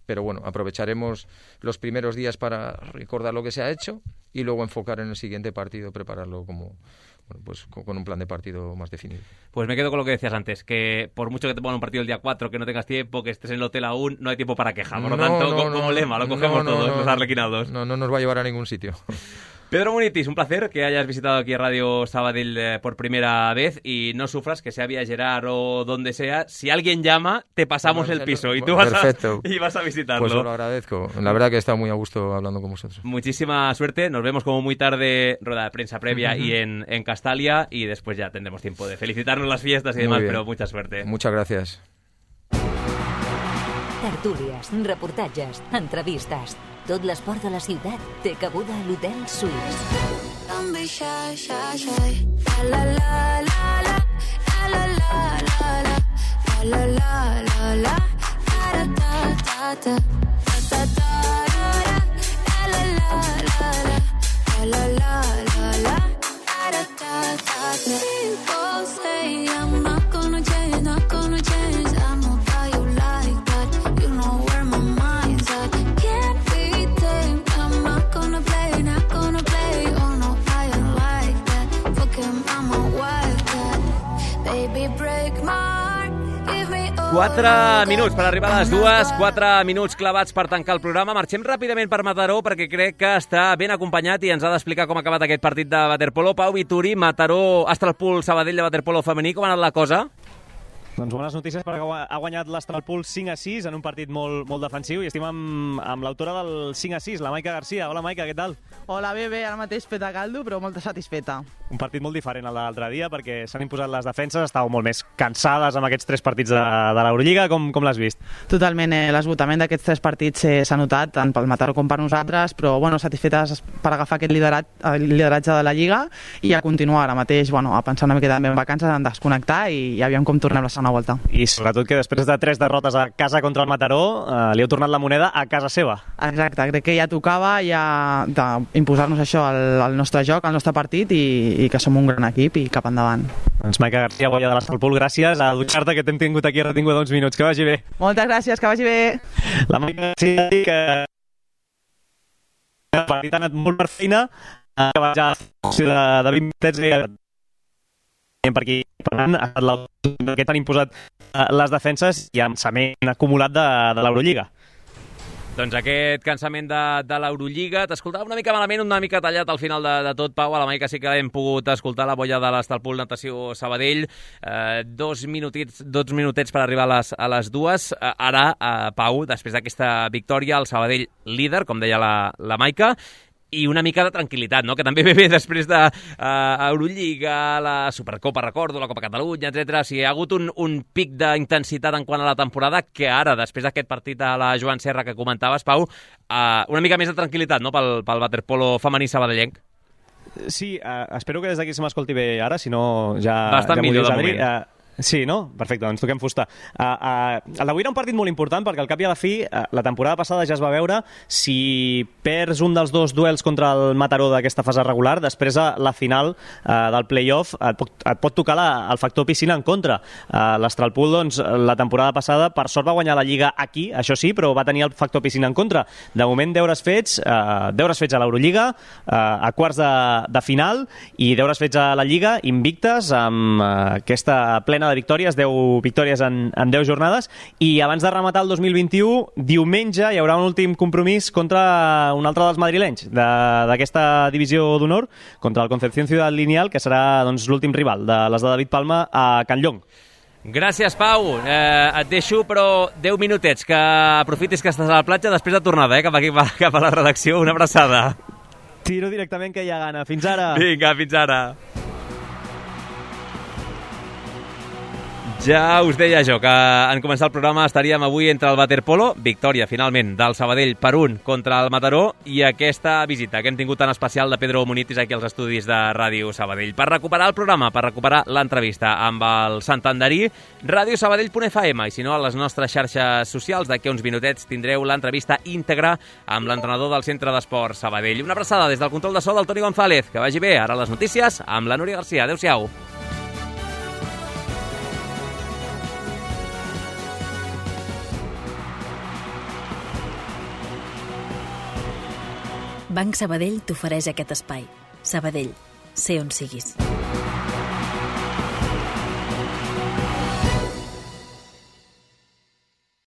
Pero bueno, aprovecharemos los primeros días para recordar lo que se ha hecho y luego enfocar en el siguiente partido, prepararlo como... Bueno, pues con un plan de partido más definido. Pues me quedo con lo que decías antes, que por mucho que te pongan un partido el día 4, que no tengas tiempo, que estés en el hotel aún, no hay tiempo para quejar. Por lo tanto, como lema, lo cogemos todos, los arlequinados. No nos va a llevar a ningún sitio. Pedro Munitis, un placer que hayas visitado aquí Radio Sabadell por primera vez y no sufras que sea Vía Gerard o donde sea. Si alguien llama, te pasamos el piso y tú vas a visitarlo. Pues os lo agradezco. La verdad que he estado muy a gusto hablando con vosotros. Muchísima suerte. Nos vemos como muy tarde, rueda de prensa previa y en Castalia, y después ya tendremos tiempo de felicitarnos las fiestas y demás, pero mucha suerte. Muchas gracias. Tertúlies, reportatges, entrevistes. Tot l'esport de la ciutat té cabuda a l'Hotel Suís. Quatre minuts per arribar a les 2, 4 minuts clavats per tancar el programa. Marxem ràpidament per Mataró perquè crec que està ben acompanyat i ens ha d'explicar com ha acabat aquest partit de waterpolo. Pau Vituri, Mataró, Astralpool, Sabadell de waterpolo femení, com ha anat la cosa? Doncs bones notícies perquè ha guanyat l'Astralpool 5-6 en un partit molt defensiu i estem amb l'autora del 5-6, la Maica Garcia. Hola, Maica, què tal? Hola, bé, ara mateix peta caldo, però molt satisfeta. Un partit molt diferent al de l'altre dia perquè s'han imposat les defenses, estàveu molt més cansades amb aquests 3 partits de l'Eurolliga. Com l'has vist? Totalment, l'esgotament d'aquests 3 partits s'ha notat, tant pel Mataró com per nosaltres, però fetes per agafar aquest lideratge de la Lliga i a continuar ara mateix, a pensar una miqueta en vacances, en desconnectar i aviam com tornem la segona volta. I sobretot que després de 3 derrotes a casa contra el Mataró, li heu tornat la moneda a casa seva. Exacte, crec que ja tocava imposar-nos això al nostre joc, al nostre partit i que som un gran equip i cap endavant. Doncs Maica Garcia, guanya de l'Astralpool, gràcies a dutxar-te que t'hem tingut aquí retinguda uns minuts. Que vagi bé. Moltes gràcies, que vagi bé. La Maica Garcia que el partit ha anat molt per feina, que va ja de 20 minutets per aquí, per tant, aquest han imposat les defenses i avançament acumulat de l'Eurolliga. Doncs aquest cansament de l'Eurolliga, t'escoltava una mica malament, una mica tallat al final de tot, Pau. A la Maica sí que hem pogut escoltar la boia de l'Astralpool Natació Sabadell. 2 minutets per arribar a les 2. Ara, Pau, després d'aquesta victòria, el Sabadell líder, com deia la Maica, i una mica de tranquil·litat, no? Que també ve bé després de Eurolliga, la Supercopa, recordo, la Copa Catalunya, etc. O sigui, hi ha hagut un pic d'intensitat en quant a la temporada que ara, després d'aquest partit a la Joan Serra que comentaves, Pau, una mica més de tranquil·litat, no?, pel waterpolo femení sabadellenc. Sí, espero que des d'aquí se m'escolti bé ara, si no ja... Bastant millor de moment. Sí, no? Perfecte, doncs toquem fusta. El d'avui era un partit molt important perquè al cap i a la fi, la temporada passada ja es va veure si perds un dels 2 duels contra el Mataró d'aquesta fase regular, després a la final del play-off et pot tocar el factor piscina en contra. L'Astralpool, doncs, la temporada passada, per sort va guanyar la Lliga aquí, això sí, però va tenir el factor piscina en contra. De moment, deures fets a l'Eurolliga, a quarts de final, i deures fets a la Lliga, invictes, amb aquesta plena de victòries, 10 victòries en 10 jornades, i abans de rematar el 2021, diumenge hi haurà un últim compromís contra un altre dels madrilenys d'aquesta divisió d'honor, contra el Concepción Ciudad Lineal, que serà l'últim rival de les de David Palma a Can Llong. Gràcies, Pau. Et deixo, però 10 minutets, que aprofitis que estàs a la platja després de tornada, cap a la redacció. Una abraçada. Tiro directament, que hi ha gana. Fins ara. Vinga, fins ara. Ja us deia jo que en començar el programa estaríem avui entre el waterpolo, victòria finalment del Sabadell per 1 contra el Mataró, i aquesta visita que hem tingut tan especial de Pedro Munitis aquí als estudis de Ràdio Sabadell. Per recuperar el programa, per recuperar l'entrevista amb el santanderí, radiosabadell.fm, i si no, a les nostres xarxes socials, d'aquí uns minutets tindreu l'entrevista íntegra amb l'entrenador del Centre d'Esport Sabadell. Una abraçada des del control de so del Toni González. Que vagi bé. Ara les notícies amb la Núria Garcia. Adéu-siau. Banc Sabadell t'ofereix aquest espai. Sabadell, sé on siguis.